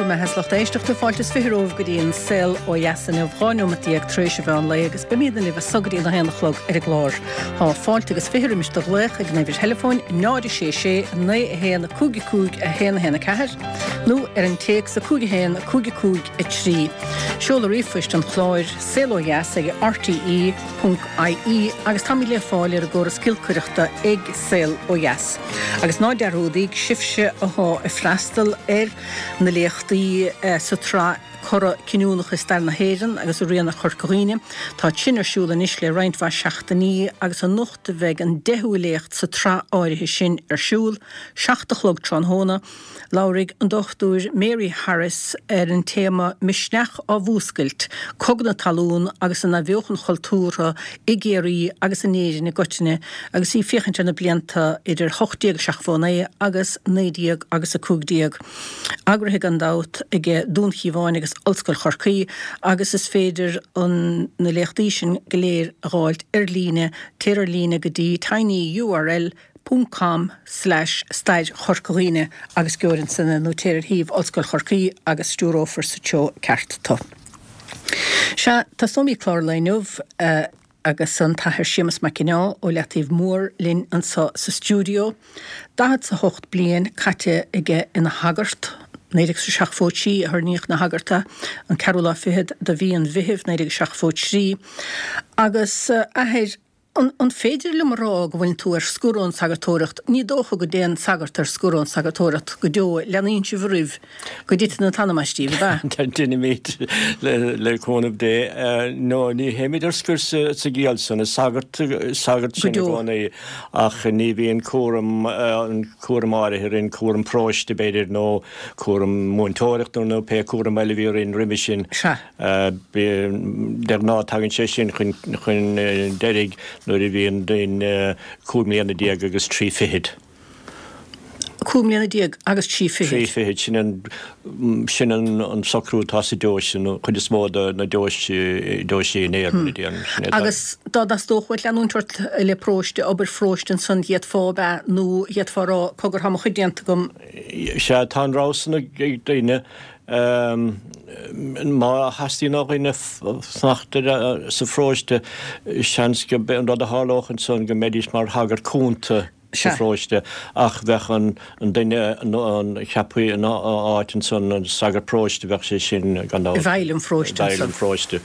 Raibh maith agat a lucht éisteachta, fáilte is 20 romhaibh go dtí an Saol Ó Dheas inniu, 12 neomat tar éis an mheán lae agus beimidne libh as so go dtí an 1 a chlog ar an gclár. Tá fáilte agus 20 roimis do ghlaoch ag an uimhir theileafóin 0 6 6 9 1 5 5 1 1 4 nó ar an téacs 5 1 5 5 3. Seoladh ríomhphoist an chláir, saol ó dheas ag rte. ie agus táimid le fáil ar an gcóras giolcaireachta ag Saol Ó Dheas. Agus ná dearúdaíg, sibhse athá ag freastal ar na léachtaí sa tsraith Cora Cinniúnacha i Stair na hÉireann agus Rian Chorca Dhuibhne, tá sin ar siúl anois le roinnt mhaith seachtainí agus anocht a bheidh an deichiú léacht sa tsraith áirithe sin ar siúl, 7 a chlog tráthnóna. Labharfaidh an Dr Mary Harris ar an téama 'Misneach á Mhúscailt, Cogadh na Talún agus an Athbheochan Chultúrtha i gCiarraí agus in Éirinn i gcoitinne' agus í ag féachaint ar na blianta idir 1879 agus 19 agus 15. Eagraithe gan dabht ag Dún Chíomháin agus Ollscoil Chorcaí agus is féidir an na léachtaí sin go léir a dh'fháilt ar líne, téir ar líne go dtí tinyurl. ponc com slash stair Chorca Dhuibhne agus gheobhair ansan é nó téir ar shuíomh Ollscoil Chorcaí agus stiúrófar sa treo ceart tu. Sea, tosóimid clár an lae inniu agus an tAthair Séamus Mac Cionnaith ó Leataobh Mór linn anso sa stiúideo. 48 bliain caite aige ina shagart, 1973 a hoirníodh ina shagart é, an ceathrú lá fichead de mhí an Mheithimh 1973, agus athair An féidir liom a rá go bhfuileann tú ar scor ón sagartóireacht? Ní dócha go dtéann sagart ar scor ón sagartóireacht go deo, leanaíonn sibh oraibh go dtiteann an t-anam as díbh, ab ea? Deinimid, le cúnamh Dé. No, ní théimid ar scor sa gciall san. Is sagart, sagart sinn i gcónaí ach ní bhíonn cúram, an cúram áirithe orainn, cúram paróiste b'fhéidir nó cúram múinteoireachta nó pé cúram eile a bhí orainn roimhe sin. Sea. De ghnáth tagann sé sin chun deiridh nuair a bhíonn duine 15 mbliana agus 3 fichid. 15 mbliana agus 3 fichid. 3 fichid, sin an, sin an socrú atá sa deoise, an chuid is mó de na deoisí in Éirinn, mar a déarfainn. Sin é atá. Agus dá dteastódh uait leanúint ort le paróiste, obair pharóiste ansan, d'fhéadfá, ab ea, nó d'fhéadfá a rá, cogar, tá mo chuid déanta agam. Sea, tá an rogha san ag daoine. Má theastaíonn ó dhuine fanacht sa pharóiste, seans gurb é an rud a tharlódh ansan go mbeidís mar shagart cúnta sa pharóiste ach bheadh an duine a cheapfaí ina áit ansan, an sagart paróiste, bheadh sé sin gan dabht. I bhfeighil an pharóiste ansan. I bhfeighil an pharóiste.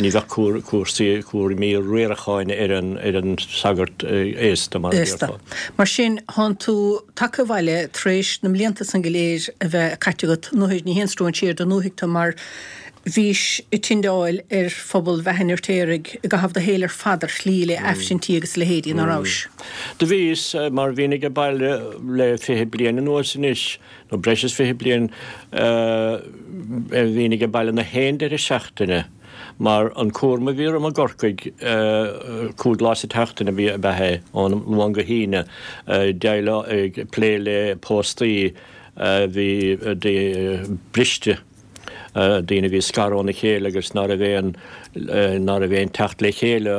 Ní bheadh cúrsaí, cúraimí riaracháin ar an sagart aosta, mar a déarfá. Mar sin, thánn tú tagtha abhaile tar éis na mblianta san go léir a bheith caite agat, nuair, ní haon stróinséir don ndúthaigh tú mar bhís ag tindeáil ar phobal Bheatha an Fheirtéaraigh i gcaitheamh do shaoil ar fad ar shlí le Aifrinntí agus a leithéidí, ná rabhais? Do bhíos, mar bhínn age baile le 20 bliain anuas anois, nó breis is 20 bliain, bhínn age baile na haon deireadh seachtaine. Mar an cúram a bhí orm i gCorcaigh, 5 lá sa tseachtain ab ea é, ón Luan go hAoine, ag plé le póstaí a bhí briste, daoine a bhí scartha óna chéile agus ná raibh aon, ná raibh aon teacht le chéile,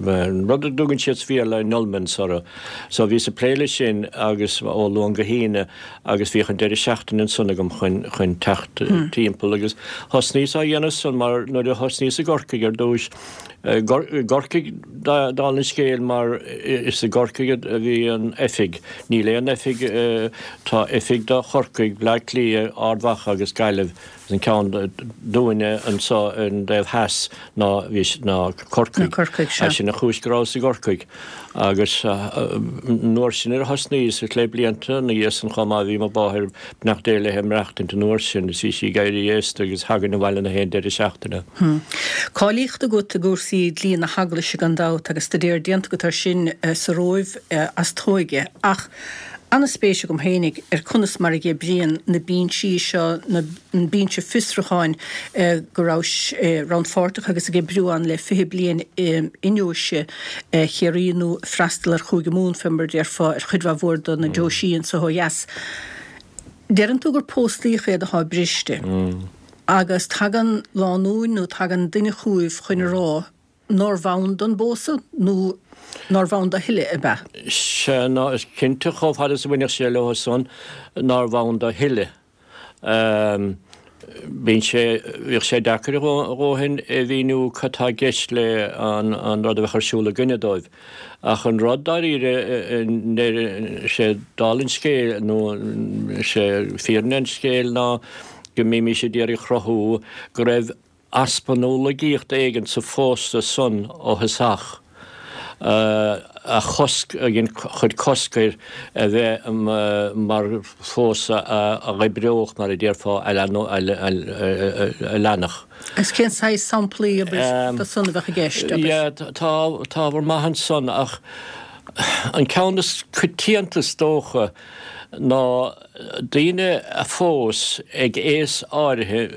an rud a dtugann siad sa Bhéarla annulments orthu. So bhíos ag plé leis sin agus ó Luan go hAoine. agus bhíodh an deireadh seachtaine ansan agam chun, chun teacht timpeall agus thosnaíos á dhéanamh san mar nuair a thosnaíos i gCorcaigh ar dtúis, i gCorcaigh dála an scéil mar is i gCorcaigh a bhí an oifig, níl aon oifig, tá oifig do Chorcaigh, Bleá Cliath, Ard Mhacha agus Gaillimh. An ceann dúinne anso ar an dtaobh theas ná bhí ná Corcaigh. Ná Corcaigh, sea. Sin an chúis go rabhas i gCorcaigh. Agus an uair sin nuair a thosnaíos, le blianta ina dhiaidh san chomh maith, bhí mo mháthair, beannacht Dé léi, ag maireachtaint an uair sin is bhí sí ag éirí aosta agus thagainn abhaile na haon deireadh seachtaine. Cáilíocht agat i gcúrsaí dlí na hEaglaise gan dabht agus staidéar déanta agat air sin sa Róimh as t'óige. Ach An-spéis agam fhéinig ar conas mar a dh'oibríonn na binsí seo, na, an binse fiosrúcháin go rabhais rannpháirteach agus ag oibriú ann le 20 bliain i ndeoise Chiarraí nó ag freastal ar Chúige Mumhan fé mar a déarfá ar chuid mhaith mhór de na deoisí anso ó dheas. Deireann tú gur póstaíocha iad athá briste agus tagann lánúin nó tagann duine chugaibh chun a rá nárbh ann don bpósadh nó nárbh ann dó a thuilleadh, ab ea? Sea, ná, is cinnte, chomh fada is a bhainfeadh sé leo san, nárbh ann dó a thuilleadh. Bíonn sé, bhíodh sé deacair a dhóthain a mhíniú cad tá i gceist le an rud a bheadh ar siúl againne dóibh. Ach an rud dáiríre, sé dála an scéil, nó sé fírinne an scéil ná go mbímís ag iarraidh a chruthú go raibh easpa nó laigeacht éigin sa phósadh san ó thosach a chosc, a chuir cosc air a bheith mar phósadh a dh'oibreodh, mar a déarfá, a leanfadh. Agus cén saghas samplaí, abair, de san a bheadh i gceist, abair? Yeah, tá ábhar maith ansan ach an ceann is coitianta is dócha ná daoine a phós ag aos áirithe,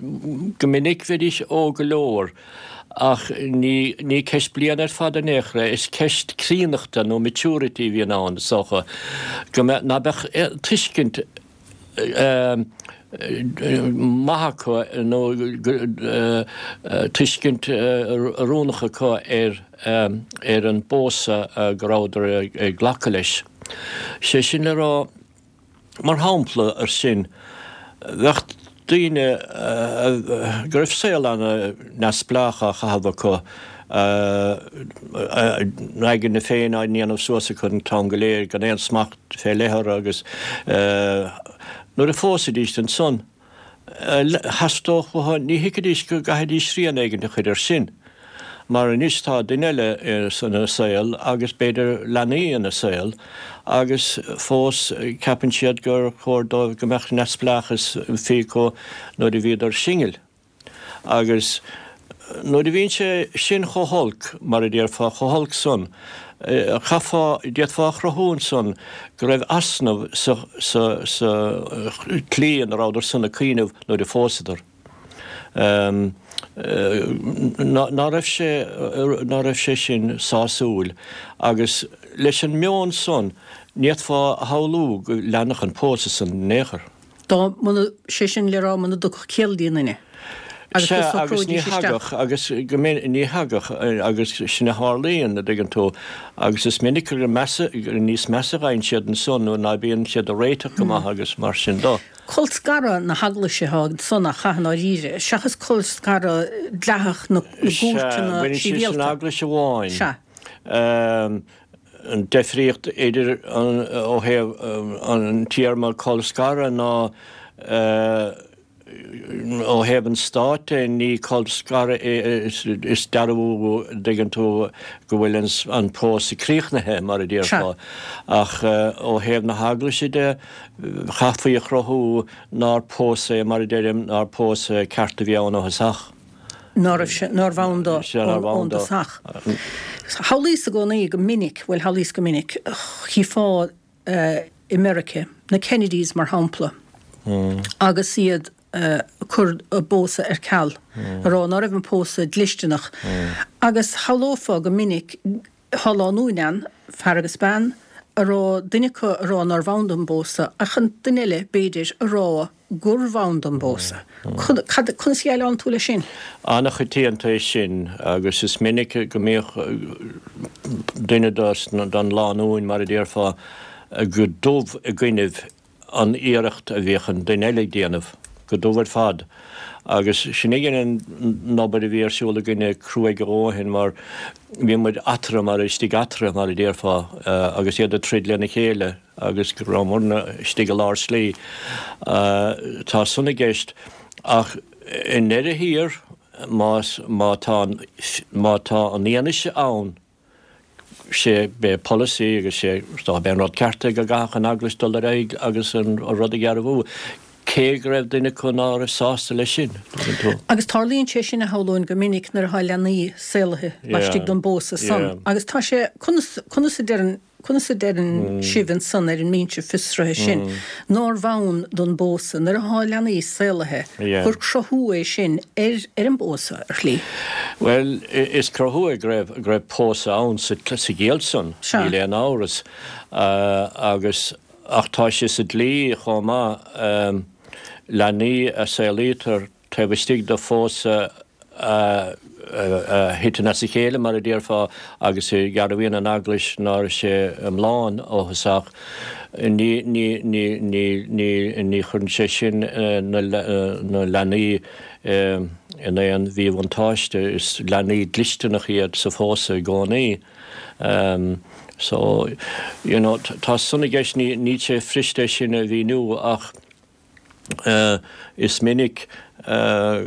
go minic bheidís óg go leor ach ní ní ceist bliana ar fad in aon chor é, is ceist críonnachta nó maturity a bhíonn ann is dócha, go mbeadh, ná beadh tuiscint maith acu nó tuiscint oiriúnach acu ar ar an bpósadh go rabhadar ag glacadh leis. Sé sin le rá, Mar shampla ar sin, bheadh daoine go raibh saol ana-neamhspleách á chaitheamh acu, a n-aigne féin á ndéanamh suas acu an t-am go léir, gan aon smacht fé leith orthu agus nuair a phósaidís ansan, Theastódh uathu, ní thuigfidís go gcaithfidís srian éigin a chur air sin, mar anois tá duine eile ina saol agus b'fhéidir leanaí ina saol agus fós ceapann siad gur chóir dóibh go mbeadh neamhspleáchas fiú acu nuair a bhíodar singil. Agus nuair a bhíonn sé sin chomh holc, mar a déarfá, chomh holc san, chaithfeá, d'fhéadfá a chruthú ansan go raibh easnamh sa, sa, sa tslí ina rabhadar san ag cuimhneamh nuair a phósadar. Ná raibh sé, ná raibh sé sin sásúil. Agus leis an meon san, ní fhéadfá a shamhlú go leanfadh an pósadh san in aon chor. Dá muna, sé sin le rá muna dtugfadh ciall d'aon duine agus go Sea, agus ní socróidís isteach. thagadh, agus go minic, ní thagadh, agus sin a tharlaíonn, a dtuigeann tú, agus is minic gur measa, gur níos measa a ghabhann siad ansan nuair ná bíonn siad ag réiteach go maith agus mar sin do. Colscaradh na heaglaise atá ansan ach i ndáiríre, seachas colscaradh dleathach na Sea, gcúirteanna baineann sé san sibhialta. eaglais amháin. Sea. An deifríocht idir an, ó thaobh an téarma colscaradh ná ó thaobh an stáit de, ní colscaradh é, is dearbhú, an dtuigeann tú, go bhfuil an pósadh críochnaithe, mar a déarfá. Ach ó thaobh na heaglaise de, chaithfí a chruthú nár pósadh é, mar a deirim, nár pósadh ceart a bhí ann ó thosach. ná raibh sé, nárbh ann do ón dtosach. Shamhlaíos i gcónaí go minic, bhuel shamhlaíos go minic, chífeá i Meirice, na Kennedys mar shampla, agus iad ag cur a bpósadh ar ceal, ag rá ná raibh an pósadh dlisteanach. Agus shamhlófá go minic, tá lánúin ann, fear agus bean, a raibh duine acu ag rá nárbh ann don bpósadh ach an duine eile, b'fhéidir, ag rá gurbh ann don bpósadh. Cad, conas a dhéileálann tú leis sin? An-choitianta é sin agus is minic go mbíodh duine den lánúin, mar a déarfá, go dubh i gcoinnibh an iarracht a bhíodh an duine eile ag déanamh, go dubh ar fad. Agus sin again an obair a bhí ar siúl againne cruaidh a dhóthain mar bhí muid eatarthu mar, istigh eatarthu mar a déarfá, agus iad ag troid lena chéile agus go rabhamarna istigh i lár slí. Tá san i gceist ach i ndeireadh thiar más, má tá an, má tá an fhianaise ann, sé b'é polasaí agus sé is dócha b'é an rud ceart é go gcaithfeadh an Eaglais dul ar aghaidh agus an rud a dhearbhú, cé go raibh duine acu ná raibh sásta leis sin, tuigeann tú. Agus tarlaíonn sé sin, a shamhlóinn, go minic nuair atá leanaí saolaithe laistigh den bpósadh san. Agus tá sé, conas, conas a deireann, conas a deireann sibh ansan ar an mbinse fiosraithe sin nárbh ann don bpósadh nuair atá leanaí saolaithe, gur cruthú é sin ar ar an bpósadh, ar shlí? Bhuel, is cruthú é go raibh, go raibh pósadh ann sa gciall san, níl aon amhras. Agus, ach tá sé sa dlí chomh maith, leanaí a saolaítear taobh istigh de phósadh a. a thiteann as a chéile, mar a déarfá, agus dearbhaíonn an Eaglais ná raibh sé iomlán ó thosach, ní, ní, ní, ní, ní, ní chuireann sé sin na leanaí in aon mhíbhuntáiste. Is leanaí dlisteanach iad sa phósadh i gcónaí. So, you know, tá san i gceist, ní, níl sé fuirist é sin a mhíniú ach, Is minic a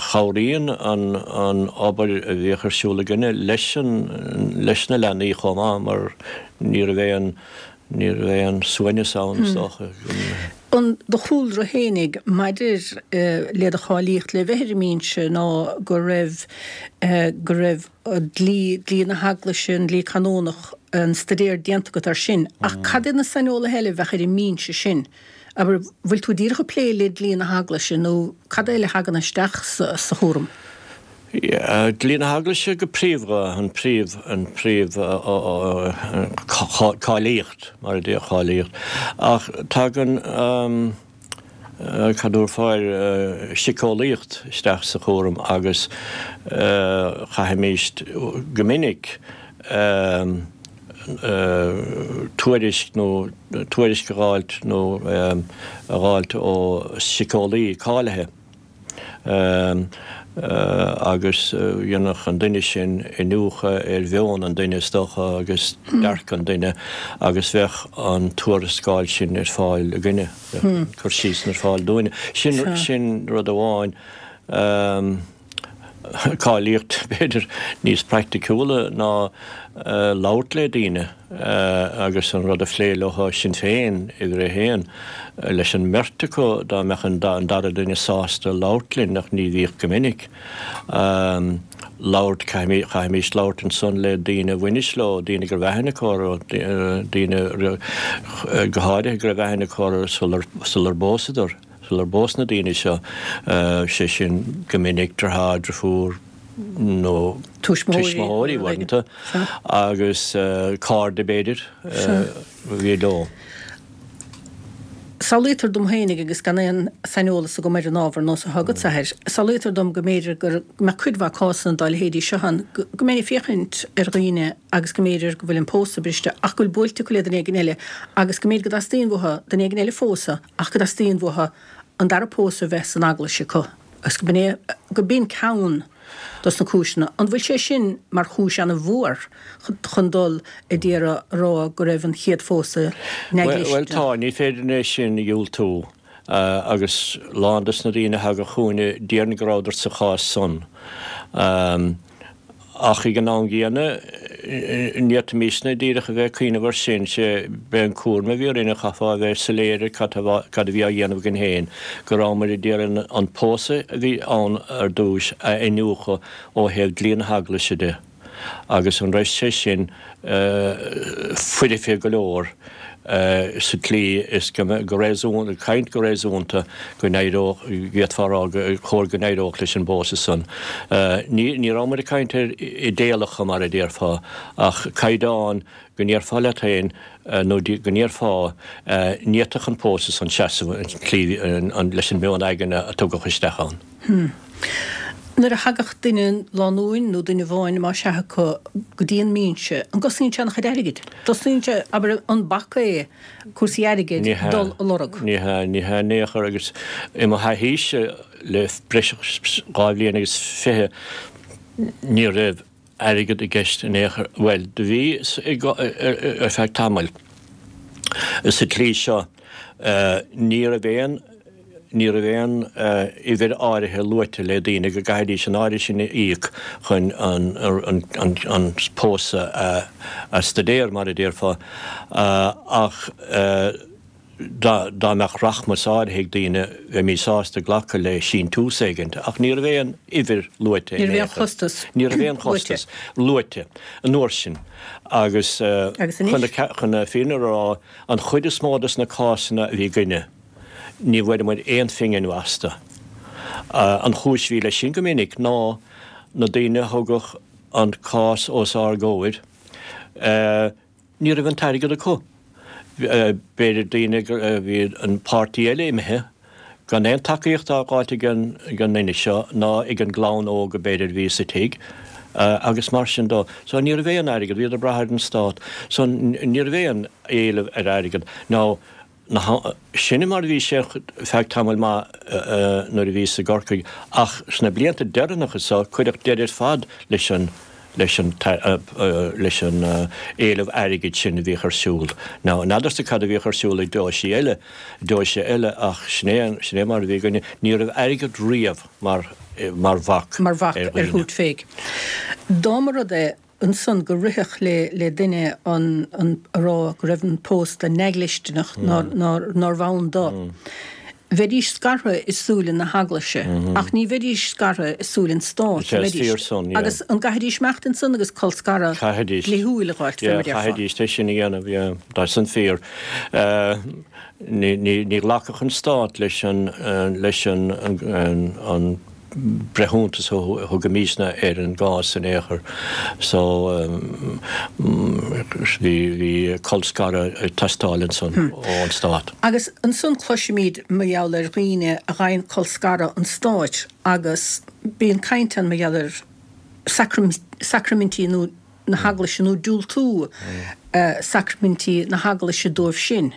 chabhraíonn an obair a bhíodh ar siúl againne leis leis na leanaí chomh maith mar ní raibh aon ní raibh aon suaimhneas ann is dócha. An do chúlra fhéinig maidir le do cháilíocht le bheith ar an mbinse ná go raibh go raibh dlí, dlí na hEaglaise, an dlí canónach, an staidéar déanta agat air sin. Ach cad iad na saineolaithe eile a bheadh ar an mbinse sin? Abair, bhfuil tú díreach ag plé le dlí na hEaglaise nó cad eile a thagann isteach sa chúram? Yeah, dlí na hEaglaise go príomha, an príomh, an príomh cáilíocht, mar a déarfá, cáilíocht. Ach tagann, cad a déarfá air, síceolaíocht isteach sa chúram agus chaithfimís go minic tuairisc nó tuairisc a dh'fháilt nó a dh'fháilt ó síceolaí cáilithe. Agus dhéanfadh an duine sin iniúchadh ar mheon an duine, is dócha, agus dearcadh an duine, agus bheadh an tuarascáil sin ar fáil againne, bheadh an cur síos sin ar fáil dúinne. Sin, sin rud amháin. Cáilíocht, b'fhéidir, níos praiticiúla ná labhairt le daoine agus an rud a phlé leo sin féin, uimhir a haon, leis an mbeirt acu dá mbeadh an dara duine sásta labhairt linn, ach ní bhíodh go minic. Labhairt, chaithfimís labhairt ansan le daoine a bhainis leo, daoine go raibh aithne acu orthu, daoine go háirithe go raibh aithne acu orthu sular bpósadar. Sular bpós na daoine seo, sé sin go minic deartháir, deirfiúr nó tuismitheoirí uaireanta agus cairde b'fhéidir a bhí leo. Samhlaítear dom féinig, agus gan aon saineolas agam ar an ábhar nós atá agatsa air, samhlaítear dom go mb'fhéidir go mbeadh cuid mhaith cásanna dá leithéidí seo ann, go mbeinn ag féachaint ar dhaoine agus go mb'fhéidir go bhfuil an pósadh briste ach go bhfuil buailte acu le duine éigin eile agus go mb'fhéidir go dteastaíonn uathu duine éigin eile a phósadh ach go dteastaíonn uathu an dara pósadh a bheith san eaglais acu agus go b'in é, go b'in ceann dos na cúiseanna. An bhfuil sé sin mar chúis ana-mhór chun dul a d'iarraidh a rá go raibh an chéad phósadh neamhdhlisteanach? Bhuel, tá, ní féidir é sin a dhiúltú agus lán dos na daoine a thagadh chugainne déarfainn go rabhadar sa chás san. Ach ag an am gcéanna, ní fhéadfaimísne díreach a bheith ag cuimhneamh air sin, sé, b'é an cúram a bhí orainne, chaithfeá a bheith soiléir ar cad a bhí á dhéanamh againn féin, go rabhamar ag iarraidh an pósadh a bhí ann ar dtúis a iniúchadh ó thaobh dlí na hEaglaise de, agus an raibh sé sin foirfe go leor. sa tslí is go réasúnta, caint go réasúnta, go n-éireodh, d'fhéadfá a rá gur chóir go n-éireodh leis an bpósadh san. Ní, ní rabhamar ag caint ar idéalacha, mar a déarfá, ach caighdeán go ndéarfá leat féin, nó go ndéarfá, ní fhéadfadh an pósadh san seasamh an tslí, leis an meon aigne a tugadh isteach ann. Nuair a thagadh duine, lánúin nó duine amháin más ea acu, go dtí an mbinse, an gcosnaíonn sé an-chuid airgid? Cosnaíonn sé, abair, an bac é cúrsaí airgid dul a lorg? Ní hea, ní hea in aon chor agus i mo thaithíse le breis agus 2 bhliain agus 20 ní raibh airgead i gceist in aon chor, bhuel, do bhí ar feadh tamaill. Sa tslí seo, ní raibh aon, ní raibh aon uimhir áirithe luaite le daoine go gcaithfidís an áirithe sin a íoc chun an pósadh a staidéar, mar a déarfá, ach dá mbeadh rachmas áirithe ag daoine, bheimís sásta glacadh le síntiús éigint, ach ní raibh aon uimhir luaite in aon chor. Ní raibh aon chostas luaite an uair sin. Agus chun na fírinne a rá, an chuid is mó de na cásanna a bhí againne, ní bhfuaireamar aon phingin astu. An chúis a bhí leis sin go minic ná na daoine a thugadh an cás os ár gcomhair, Ní raibh an t-airgead acu. B'fhéidir daoine go bhí an páirtí eile imithe. Gan aon tacaíocht á fháilt ag an nduine seo ná ag an gclann óg b'fhéidir a bhí sa tigh agus mar sin dó. So ní raibh aon airgead, bhíodar ag brath ar an stát. So ní raibh aon éileamh ar airgead. Now sin mar a bhí sé feadh tamaill maith nuair a bhíos i gCorcaigh ach sna blianta deireanacha so cuireadh deireadh ar fad leis an leis an leis an éileamh airgid sin a bhíodh ar siúl. Now, n'fheadarsa cad a bhíodh ar siúl ag deoisí eile, deoise eile ach sin é, sin é mar a bhí againne. Ní raibh airgead riamh mar, mar bhac mar bhac ar ar thabhairt féich. Dá mba rud é ansan go rithfeadh le, le duine an, an, a rá go raibh an pósta neamhdhlisteanach, nár, nár, nárbh ann do. Bheidís scartha i súile na hEaglaise, ach ní bheidís scartha i súile an Stáit, an mbeidís? Agus an gcaithfidís imeacht ansan agus colscaradh dlíthiúil a dh'fháilt, fé mar a déarfá? Chaithfidís é sin a dhéanamh, yeah. Tá san fíor. Ní ghlacfadh an Stát leis an, leis an, an breithiúntas a thugaimisne ar an gcás in aon chor. So, bhí, bhí colscaradh ag teastáil ansan ón Stát. Agus ansan cloisimid mar gheall ar dhaoine a ghabhann colscaradh an Stáit agus bíonn caint ann mar gheall ar sacraimintí nó na hEaglaise nó diúltú sacraimintí na hEaglaise dóibh sin.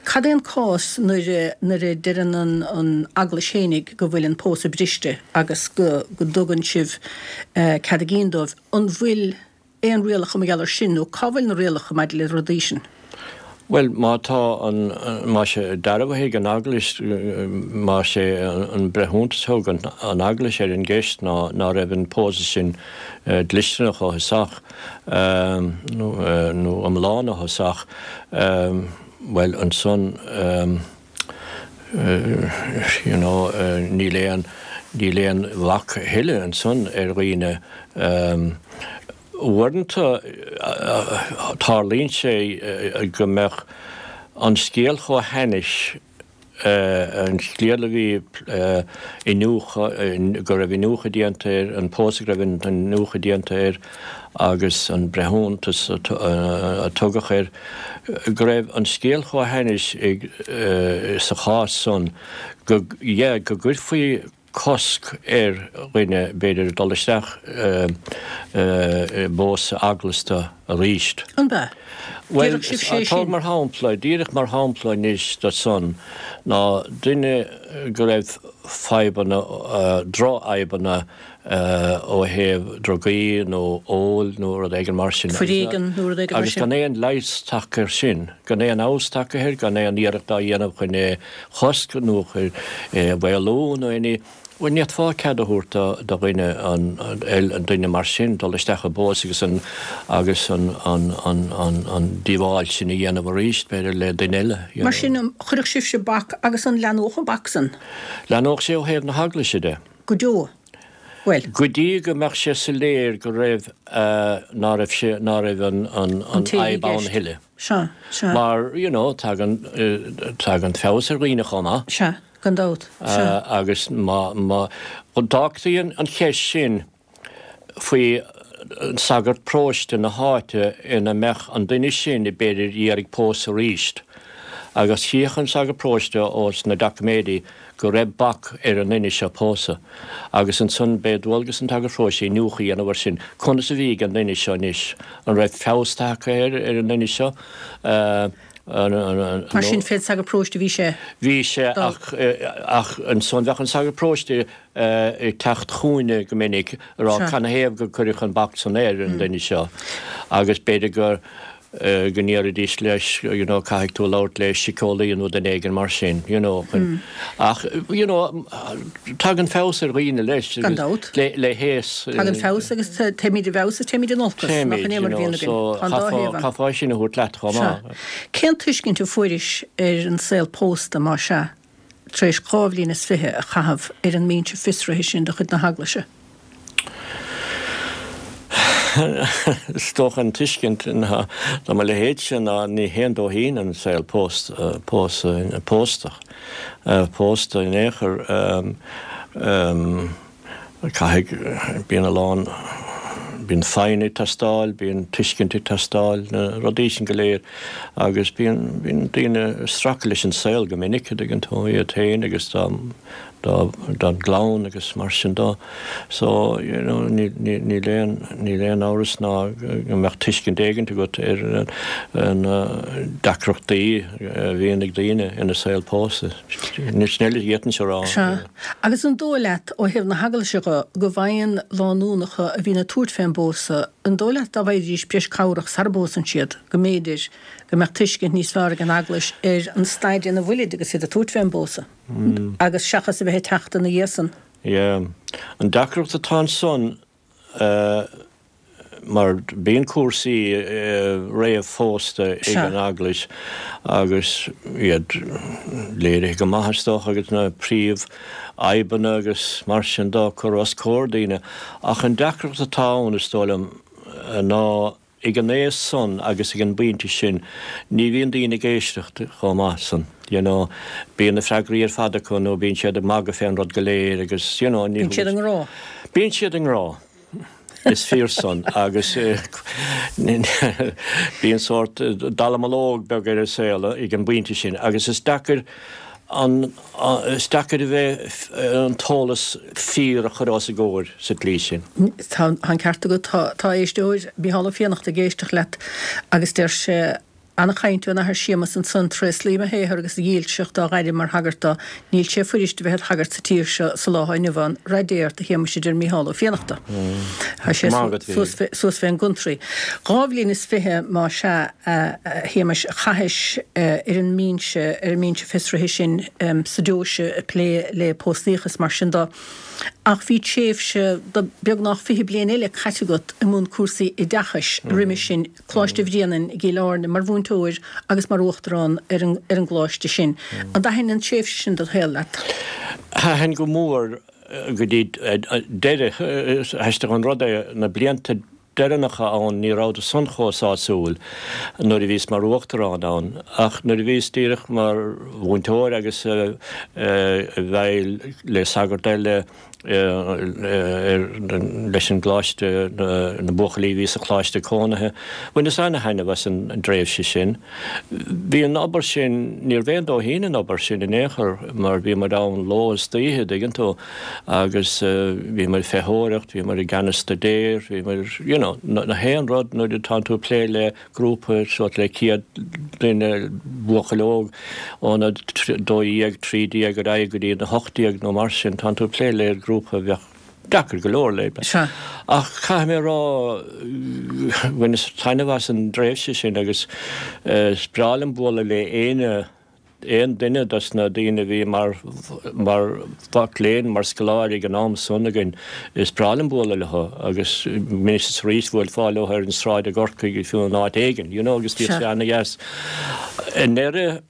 Cad é an cás nuair nuair a deireann an an Eaglais fhéinig go bhfuil an pósadh briste agus go go dtugann sibh cead a gcinn dóibh? An bhfuil aon rialacha mar gheall ar sin nó cá bhfuil na rialacha maidir le rudaí sin? Bhuel, má tá an, má sé dearbhaithe ag an Eaglais, má sé an breithiúntas a thug an Eaglais ar an gceist ná ná raibh an pósadh sin dlisteanach ó thosach, nó iomlán ó thosach, bhuel, ansan, you know, níl aon, níl aon bhac a thuilleadh ansan ar dhaoine. Uaireanta tarlaíonn sé go mbeadh an scéal chomh hainnis, an scéal a bhí iniúchadh, go raibh iniúchadh déanta air, an pósadh go raibh iniúchadh déanta air agus an breithiúntas a tugadh air, go raibh an scéal chomh hainnis sa chás san go, yeah, go gcuirfí cosc ar dhuine, b'fhéidir, dul isteach i bpósadh eaglasta arís. An b'ea? Bhuel, tóg mar shampla, díreach mar shampla anois de san, ná duine go raibh fadhbanna, drochfhadhbanna ó thaobh drugaí nó óil nó rud éigin mar sin. Foréigean nó rud éigin mar sin. Agus gan aon leigheas tagtha air sin, gan aon fheabhas tagtha air, gan aon iarracht á dhéanamh chun é chosc nó é a mhaolú nó aon ní, bhuel, ní fhéadfá cead a thabhairt do dhuine, an duine mar sin dul isteach i bpósadh agus an, agus an, an, an, an, an díobháil sin a dhéanamh arís, b'fhéidir, le duine eile, you know. Mar sin, chuirfeadh sibhse bac agus an leathnódh an bac san? Leathnódh sé ó thaobh na hEaglaise de. Go deo. Bhuel. Go dtí go mbeadh sé soiléir go raibh, ná raibh sé, ná raibh an, an, an fhadhb ann a thuilleadh. Sea, sea. Mar, you know, tagann, tagann feabhas ar dhaoine chomh maith. Sea, gan dabht, sea. Agus má, má, d'fhágtaí an cheist sin faoi sagart paróiste na háite ina mbeadh an duine sin b'fhéidir iarraidh pósadh arís. Agus chífeadh an sagart paróiste ós na doiciméidí go raibh bac ar an nduine seo pósadh. Agus ansan b'é dualgas an tsagairt pharóiste iniúchadh a dhéanamh air sin. Conas a bhí ag an nduine seo anois? An raibh feabhas tagtha air, ar an nduine seo? Mar sin, fén sagart paróiste a bhí sé? Bhí sé, ach, ach ansan bheadh an sagart paróiste ag teacht chugainne go minic ag rá canathaobh gur cuireadh an bac san ar an duine seo agus b'fhéidir gur go ndéarfaidís leis, you know, caithfidh tú labhairt le síceolaí nó duine éigin mar sin, you know, chun, ach, you know, tagann feabhas ar dhaoine leis. Gan dabht. Le, le haos. Tagann feabhas agus téimid i bhfeabhas is téimid in olcas, nach in é mar a bhíonn againn. So, Tá an dá thaobh ann. chaithfeá sin a thabhairt leat chomh maith. Sea. Cén tuiscint a fuairis ar an saol pósta, má sea, tar éis 22 bhliain is a chaitheamh ar an mbinse fiosraithe sin de chuid na hEaglaise? Is dócha an tuiscint ná do mo leithéidse ná ní haon dóithín an saol pósta, pósta in aon chor. Caithfidh, bíonn a lán, Bíonn foighne ag teastáil, bíonn tuiscint ag teastáil, na rudaí sin go léir agus bíonn, bíonn daoine ag stracadh leis an saol go minic, a dtuigeann tú, iad féin agus dá, dá, dá gclann agus mar sin dó. So, you know, níl, níl, níl aon, níl aon amhras ná go mbeadh tuiscint éigint agat ar na deacrachtaí a bhíonn ag daoine ina saol pósta. Sin uilig a d'fhéadfainnse a rá. Sea. Agus an dóigh leat, ó thaobh na hEaglaise dho, go bhfaigheann lánúnacha a bhíonn ag tabhairt fén bpósadh, an dóigh leat dá bhfaighidís breis cabhrach sara bpósann siad, go mb'fhéidir go mbeadh tuiscint níos fearr ag an Eaglais ar an staid ina bhfuilid agus iad ag tabhairt fén bpósadh, agus seachas a bheith ag teacht ina dhiaidh san? Yeah. An deacracht atá ansan, mar bíonn cúrsaí réamh-phósta ag an Eaglais agus iad léirithe go maith is dócha agus na príomh fhadhbanna agus mar sin dó curtha os comhair daoine ach an deacracht atá ann is dóigh liom ná Ag an aois san agus ag an bpointe sin ní bhíonn daoine ag éisteacht chomh maith san, you know. Bíonn na freagraí ar fad acu nó bíonn siad ag magadh fén rud go léir agus, you know, ní Bíonn siad i ngrá. Bíonn siad i ngrá. Is fíor san agus bíonn sórt dallamullóg beag ar an saol ag an bpointe sin agus is deacair an Is deacair a bheith an t-eolas fíor a chur os a gcomhair sa tslí sin. Tá an ceart agat. Tá éisteoir, Micheál Ó Fiannachta, ag éisteacht leat agus deir sé, Ana-chaint ón Athair Séamus ansan, tréaslaím a shaothar agus a dhílseacht dá ghairm mar shagart dó. Níl sé fuirist a bheith id shagart sa tír seo sa lá atá inniu ann. Rath Dé ort a Shéamuis a deir Micheál Ó Fiannachta. Tá sé suas fén gcontrí. 22 bhliain más ea, a Shéamais, a chaithis ar an mbinse, ar an mbinse fiosraithe sin sa deoise ag plé le póstaíocha is mar sin de. Ach bhí tréimhse de beagnach 20 bliain eile caite agat i mbun cúrsaí oideachais roimhe sin, Coláiste Bhréanainn i gCill Airne, mar mhúinteoir agus mar uachtarán ar an ar an gcoláiste sin. An dtaithin an tréimhse sin den shaol leat? Thaitin go mór go dtí deireadh. Is aisteach an rud é, na blianta deireanacha ann ní rabhadar san chomh sásúil nuair a bhíos mar uachtarán ann ach nuair a bhíos díreach mar mhúinteoir agus i bhfeighil le sagart eile leis an gcoláiste, na buachaillí a bhí sa choláiste cónaithe, bhaineas ana-thaitneamh as an dtréimhse sin. Bhí an obair sin, níorbh aon dóithín an obair sin in aon chor mar bhí muid ann ló is d'oíche, dtuigeann tú. agus bhí muid ag feitheoireacht, bhí muid i gceannas staidéir, bhí muid, you know, na haon rud nuair atánn tú ag plé le grúpa suas le 100 duine, buachaill óg óna 12, 13 ar aghaidh go dtí na 18 nó mar sin, tánn tú ag plé le grúpa a bheadh deacair go leor le. Sea. Ach caithfidh mé a rá, bhaineas taitneamh as an dtréimhse sin agus is breá liom bualadh le éinne, aon duine dos na daoine a bhí mar mar mhac léinn, mar scoláire ag an am san againn, is breá liom bualadh leo agus anois is arís bhuailfeá leo ar an sráid i gCorcaigh fiú in áit éigin, you know, agus bhíodh sé ana-dheas. I ndeireadh,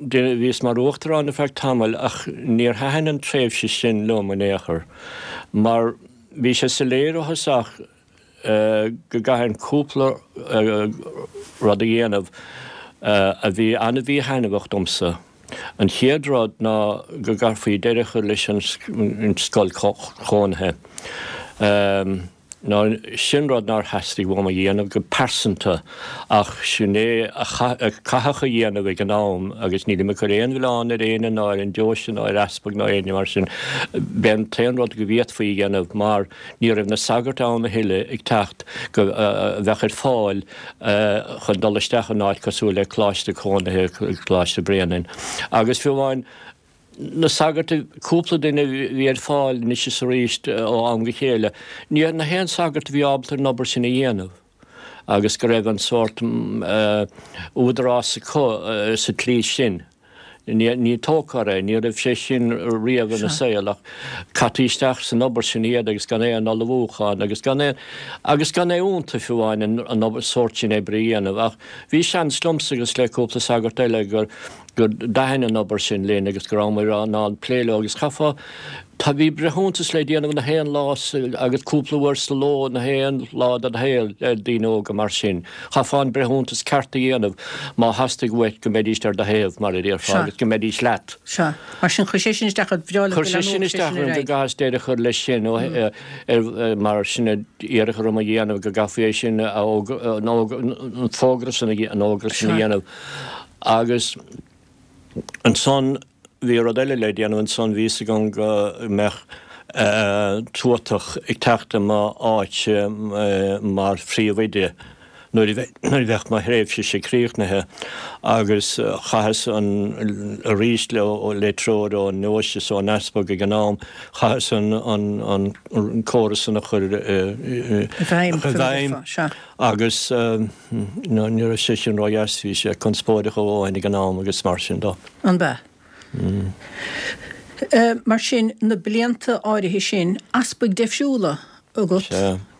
bhíos mar uachtarán ar feadh tamaill ach níor thaitin an tréimhse sin liom in aon chor mar bhí sé soiléir ó thosach go gcaithfinn cúpla rud a dhéanamh a bhí an-mhíthaitneamhach domsa. An chéad rud ná go gcaithfí deireadh a chur leis an scoil chónaithe. Ná sin rud nár theastaigh uaim a dhéanamh go pearsanta ach sin é a caitheadh a dhéanamh ag an am agus nílim ag cur aon mhilleán ar éinne ná ar an deoise ná ar easpag ná éinne mar sin. B'é an t-aon rud go bhféadfaí a dhéanamh mar Ní raibh na sagairt ann a thuilleadh ag teacht go a bheadh ar fáil chun dul isteach in áit cosúil le coláiste cónaithe, Coláiste Bhréanainn. Agus fiú amháin na sagairt, cúpla duine a bhí ar fáil anois is arís ó am go chéile, ní na haon sagart a bhí ábalta an obair sin a dhéanamh agus go raibh an sórt údarás acu sa tslí sin. Ní tógtha é, ní raibh sé sin riamh ina saol ach caití isteach san obair sin iad agus gan aon ullmhúchán agus gan aon, agus gan é iontu fiú amháin an obair, sórt sin oibre a dhéanamh. Ach bhí seans liomsa agus le cúpla sagart eile gur, gur dtaithin an obair sin linn agus go rabhamar in ann plé leo agus chaithfeá. Tá, bhí breithiúntas le déanamh na haon lá agus cúpla uair sa ló na haon lá de do shaol le daoine óga mar sin. Chaithfeá an breithiúntas ceart a dhéanamh má theastaigh uait go mbeidíst ar do thaobh, mar a déarfá, agus go mbeidís leat. Sea. Mar sin, chuir sé sin isteach ort, bhreá leat go Chuir sé sin leanódh sé isteach sin ar orm go aghaidh. gcaitheas deireadh a chur leis sin ó ar mar sin a iarradh orm a dhéanamh go gcaithfí é sin a an fógra sin an fhógra sin a dhéanamh agus Ansan bhí rud eile le déanamh ansan, bhí fhios agam go mbeadh tuatach ag teacht i m'áit mar phríomhoide nuair a bheadh mo thréimhse-se críochnaithe agus chaitheas an, arís le treoir ón ndeoise is ón easpag ag an am, chaitheas an córas san a chur i bhfeidhm agus. Ní raibh sé sin ródheas, bhí sé conspóideach a dhóthain ag an am agus mar sin de. An b'ea? Mar sin, na blianta áirithe sin, easpaig deifriúla agat,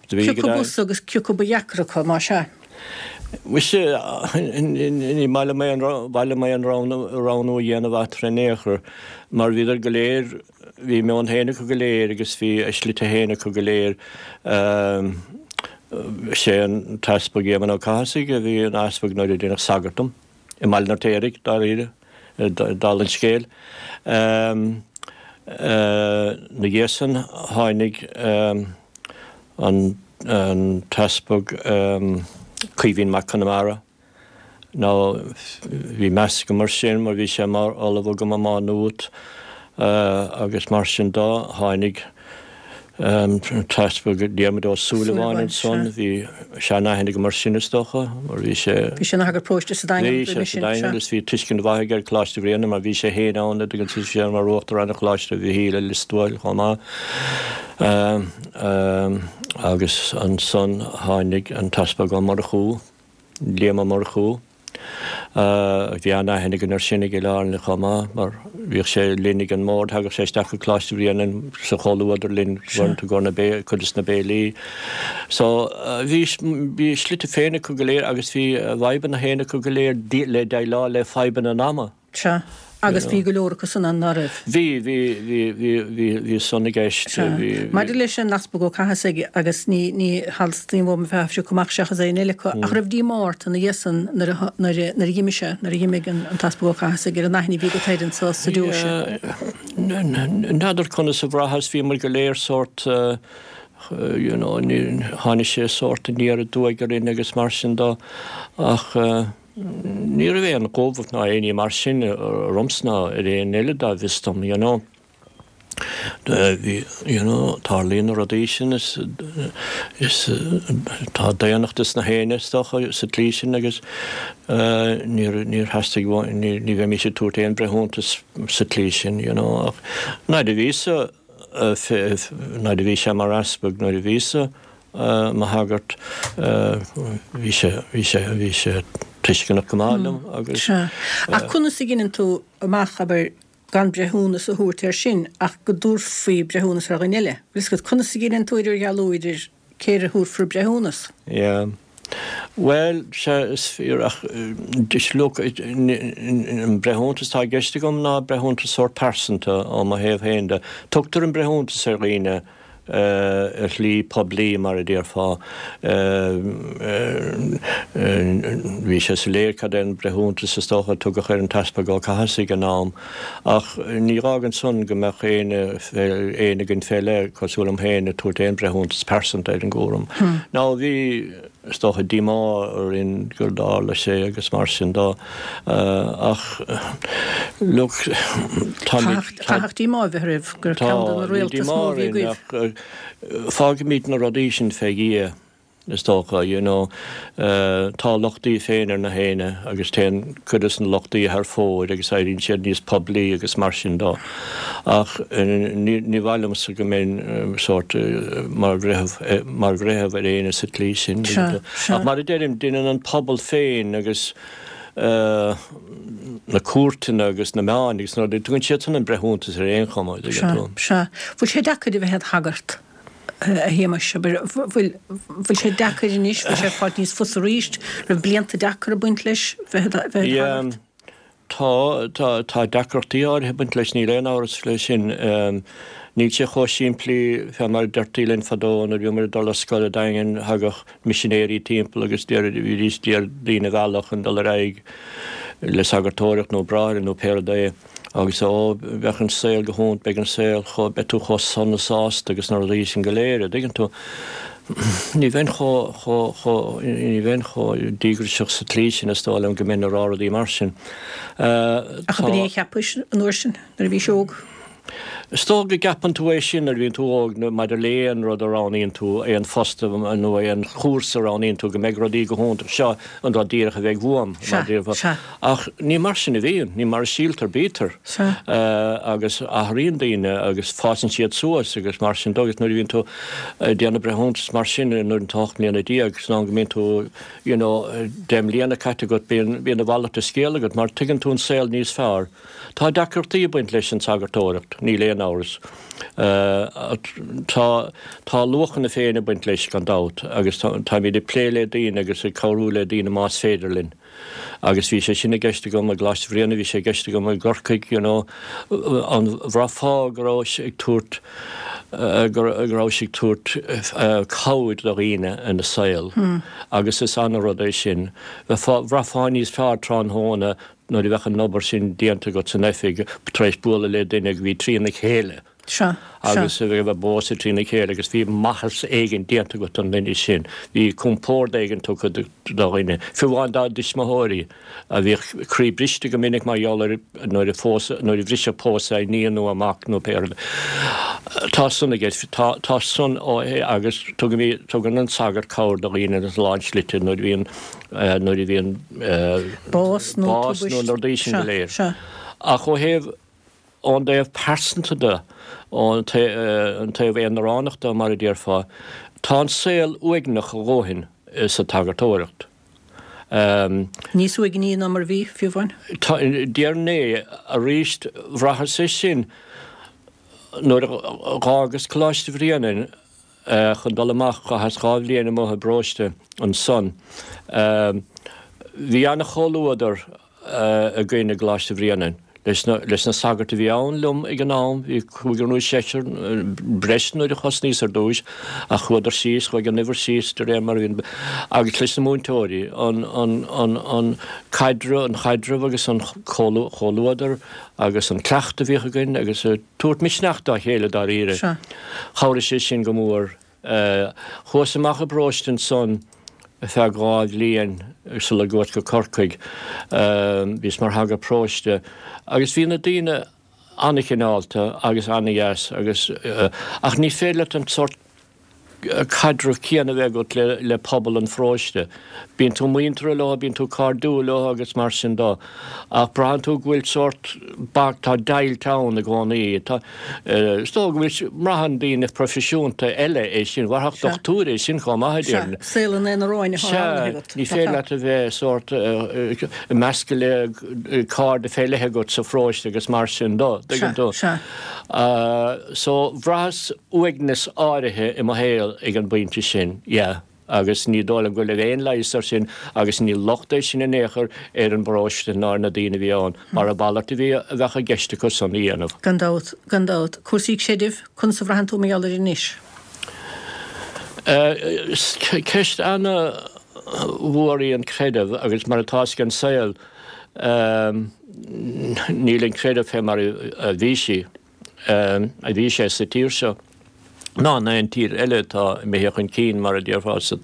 cé acu b'fhusa agus cé acu ba dheacra acu, más ea? Mhuise, ní maith liom aon roghnú a dhéanamh eatarthu in aon chor, mar bhíodar go léir, Bhí a meon féin acu go léir agus bhí a slite féin acu go léir. Sé an tEaspag Éamonn Ó Cathasaigh a bhí ina easpag nuair a deineadh sagart dom, i mBaile an Fheirtéaraigh, dáiríre, dála an scéil. Ina dhiaidh san tháinig an tEaspag Caoimhín Mac Conmara. Now bhí meas agam air sin mar bhí sé mar ollamh agam i Má Nuat agus mar sin de tháinig an tEaspag Diarmuid Ó Súilleabháin ansan, bhí sean-aithne agam air sin is dócha mar bhí sé. Bhí sé ina shagart paróiste sa Daingean roimhe sin. Bhí sé sa Daingean agus bhí tuiscint mhaith aige ar Choláiste Bhréanainn mar bhí sé féin ann agus bhí sé mar Uachtarán ar Choláiste Mhichíl i Lios Tuathail chomh maith. Agus ansan tháinig an tEaspag Ó Murchú. Liam Ó Murchú. Bhí an-aithne againn air sin i gCill Airne chomh maith mar bhíodh sé linn ag an mbord, thagadh sé isteach go Coláiste Bhréanainn sa chomhluadar linn uaireanta i gcomhair na bé, cuid de na béilí. So bhí, bhí a slite féin acu go léir agus bhí a bhfadhbanna féin acu go léir le déileáil le fadhbanna an ama. Sea. Agus bhí go leor acu san ann, ná raibh? Bhí, bhí, bhí, bhí, bhí, bhí san i gceist. Sea. Bhí, bhí. Maidir leis an Easpag Ó Cathasaigh, agus ní, ní theastaíonn uaim a bheith ag piocadh amach seachas éinne eile acu, ach raibh díomá ort ina dhiaidh san nuair a, nuair a, nuair a dh'imigh sé, nuair a dh'imigh an, an tEaspag Ó Cathasaigh ar an aithne a bhí agat air anso sa deoise? N'fheadar conas a bhraitheas, bhí muid go léir sórt, you know, ní, tháinig sé sórt aniar aduaidh orainn agus mar sin de, ach, Ní raibh aon chumhacht ná aon ní mar sin ormsa ná ar aon eile dá bhfios dom, you know. Bhí, you know, tarlaíonn na rudaí sin is, is tá daonnacht ins na héinne is dócha sa tslí sin agus níor, níor theastaigh uainn, ní, ní bheimís ag tabhairt aon breithiúntas sa tslí sin, you know, ach nuair a bhíos-sa, nuair a bhí sé mar easpag, nuair a bhíos-sa mo shagart, bhí sé, bhí sé, bhí sé tuisceanach go maith liom agus. Sea. Ach conas a dheineann tú amach, abair, gan breithiúnas a thabhairt air sin ach go dtabharfaí breithiúnas ar dhuine eile? Bhfuil fhios agat, conas a dheineann tú idirdhealú idir cé air a thabharfar breithiúnas? Yeah. Bhuel, sea, is fíor ach look, an breithiúntas atá i gceist agam ná breithiúntas sórt pearsanta ó mo thaobh féin de. Tugtar an breithiúntas ar dhaoine ar shlí poiblí, mar a déarfá. Bhí sé soiléir cad é an breithiúntas is dócha a tugadh ar an tEaspag Ó Cathasaigh ag an am, ach ní fhágann san go mbeadh éinne, éinne againn fé leith, cosúil liom féin, ag tabhairt aon bhreithiúntas pearsanta ar an gcúram. Now bhí. Is dócha díomá orainn gur tharla sé agus mar sin de ach look táimid. Chaithfeadh díomá a bheith oraibh gur ceann de na réalta is mó a bhí agaibh. Ach fágfaimid na rudaí sin fé Dhia is dócha, you know. Tá a lochtaí féin ar na héinne agus téann cuid de na lochtaí thar fóir agus éiríonn siad níos poiblí agus mar sin de. Ach ní mhaith liomsa go mbeinn sórt mar bhreitheamh mar bhreitheamh ar éinne sa tslí sin. Ach mar a deirim, déanann an pobal féin agus na cúirteanna agus na meáin agus na rudaí, tugann siadsan an breithiúntas ar aon chuma. Sea, sea. Bhfuil sé deacair a bheith id shagart, a Shéamais? Abair, bhfuil, bhfuil sé deacair anois, bhfuil sé ag fáilt níos fusa arís? Raibh blianta deacra ag baint leis bheith id shagart? Tá, tá, tá deacrachtaí áirithe ag baint leis, níl aon amhras faoi sin. Níl sé chomh simplí fé mar a deirtí linn fadó nuair a bhíomar ag dul ar scoil an Daingean, thagadh misinéirí timpeall agus bhídís d'iarraidh daoine a mhealladh chun dul ar aghaidh le sagartóireacht nó bráithre nó pé rud é agus ó bheadh an saol go hiontach, beidh an saol chomh, beidh tú chomh sona sásta agus na rudaí sin go léir, a' dtuigeann tú. Ní bheinn chomh, chomh, chomh, ní bheinn chomh díograiseach sa tslí sin is dóigh liom go mbeinn ag rá rudaí mar sin. Ach ab in é a cheapais an uair sin nuair a bhís óg? Is dóigh go gceapann tú é sin nuair a bhíonn tú óg maidir le aon rud a roghnaíonn tú, aon phost nó aon chúrsa a roghnaíonn tú, go mbeidh rudaí go hiontach, seo an rud díreach a bheidh uaim, mar a déarfá. Sea. Ach ní mar sin a bhíonn, ní mar a síltear bítear. Sea. Agus athraíonn daoine agus fásann siad suas agus mar sin de agus nuair a bhíonn tú ag déanamh breithiúntas mar sin nuair atá tú 18 mbliana, san am go mbíonn tú you know 10 mbliana caite agat bíonn bíonn a mhalairt de scéal agat mar tuigeann tú an saol níos fearr. Tá deacrachtaí ag baint leis an tsagartóireacht, níl aon amhras. Tá, tá a luachanna féin ag baint leis, gan dabht, agus táimid ag plé le daoine agus ag cabhrú le daoine más féidir linn. Agus bhí sé sin i gceist agam i gColáiste Bhréanainn, bhí sé i gceist agam i gCorcaigh, you know, an bhraithfeá go rabhais ag tabhairt, go rabhais ag tabhairt cabhair do dhaoine ina saol agus is ana-rud é sin. Bheifeá, bhraithfeá níos fearr tráthnóna Nuair a bheadh an obair sin déanta agat san oifig, tar éis bualadh le duine a bhí trína chéile Sea, sea. agus a bheith ag pósadh trína chéile agus bhí maitheas éigin déanta agat don duine sin, bhí compord éigin tugtha do dhuine, fiú amháin dá dtuismitheoirí a bhíodh croí briste go minic mar gheall ar nuair a phósadh, nuair a bhriseadh pósadh a iníon nó a mac nó pé rud. Tá san i gceist, tá, tá san ó, agus tugaimid, tugann an sagart cabhair do dhaoine ina lán slite nuair a bhíonn, nuair a bhíonn bás nó bás nó na rudaí sin go léir. Ach ó thaobh, ón dtaobh pearsanta de, ón taobh aonaránach de mar a déarfá, tá an saol uaigneach a dhóthain sa tsagartóireacht. Níos uaigní ná mar a bhí, fiú amháin? Déarfainn é arís, bhraitheas é sin nuair a dh'fhágas Coláiste Bhréanainn, chun dul amach, chaitheas 2 bhliain amuigh i bparóiste ansan. Bhí ana-chomhluadar againn i gColáiste Bhréanainn, leis na, leis na sagairt a bhí ann liom ag an am, bhí cúigear nó seisear, breis nuair a thosnaíos ar dtúis, ach chuadar síos, chuaigh an uimhir síos de réir mar a bhí, agus leis na múinteoirí, an, an, an, an caidreamh, an chaidreamh agus an comhluadar agus an cleachtadh a bhíodh againn agus. tabhairt misneach dá chéile dáiríre. Sea. Chabhraigh sé sin go mór. Chuas amach i bparóiste ansan ar feadh 2 bhliain sula gcuas go Corcaigh. Bhíos mar shagart paróiste agus bhí na daoine an-chineálta agus an-dheas agus ach ní féidir leat an sórt caidreamh céanna a bheith agat le pobal an pharóiste. Bíonn tú muinteartha leo, bíonn tú cairdiúil leo agus mar sin de. Ach braitheann tú go bhfuil sórt bac, tá deighilt ann i gcónaí. Tá, is dóigh go bhfuil, mbraitheann daoine proifisiúnta eile é sin, mbraithfeadh dochtúir é sin chomh maith, a déarfainn. Sea, saol an aonaráin atá roghnaithe agat. Sea, ní féidir leat a bheith sórt ag meascadh le cairde fé leith agat sa pharóiste agus mar sin de, dtuigeann tú. Sea, sea. So, bhraitheas uaigneas áirithe i mo shaol ag an bpointe sin, yeah, agus ní dóigh liom go raibh aon leigheas air sin agus ní locht é sin in aon chor ar an bparóiste ná ar na daoine a bhí ann, mar a mhalairt a bhí, a bheadh i gceist acu san a dhéanamh. Gan dabht, gan dabht. Cúrsaí creidimh, conas a bhraitheann tú mar gheall air anois? Ceist ana-mhór í an creideamh agus mar atá ag an saol, níl an creideamh fé mar a bhí sí. a bhí sé sa tír seo ná in aon tír eile atá imithe chun cinn, mar a déarfá, sa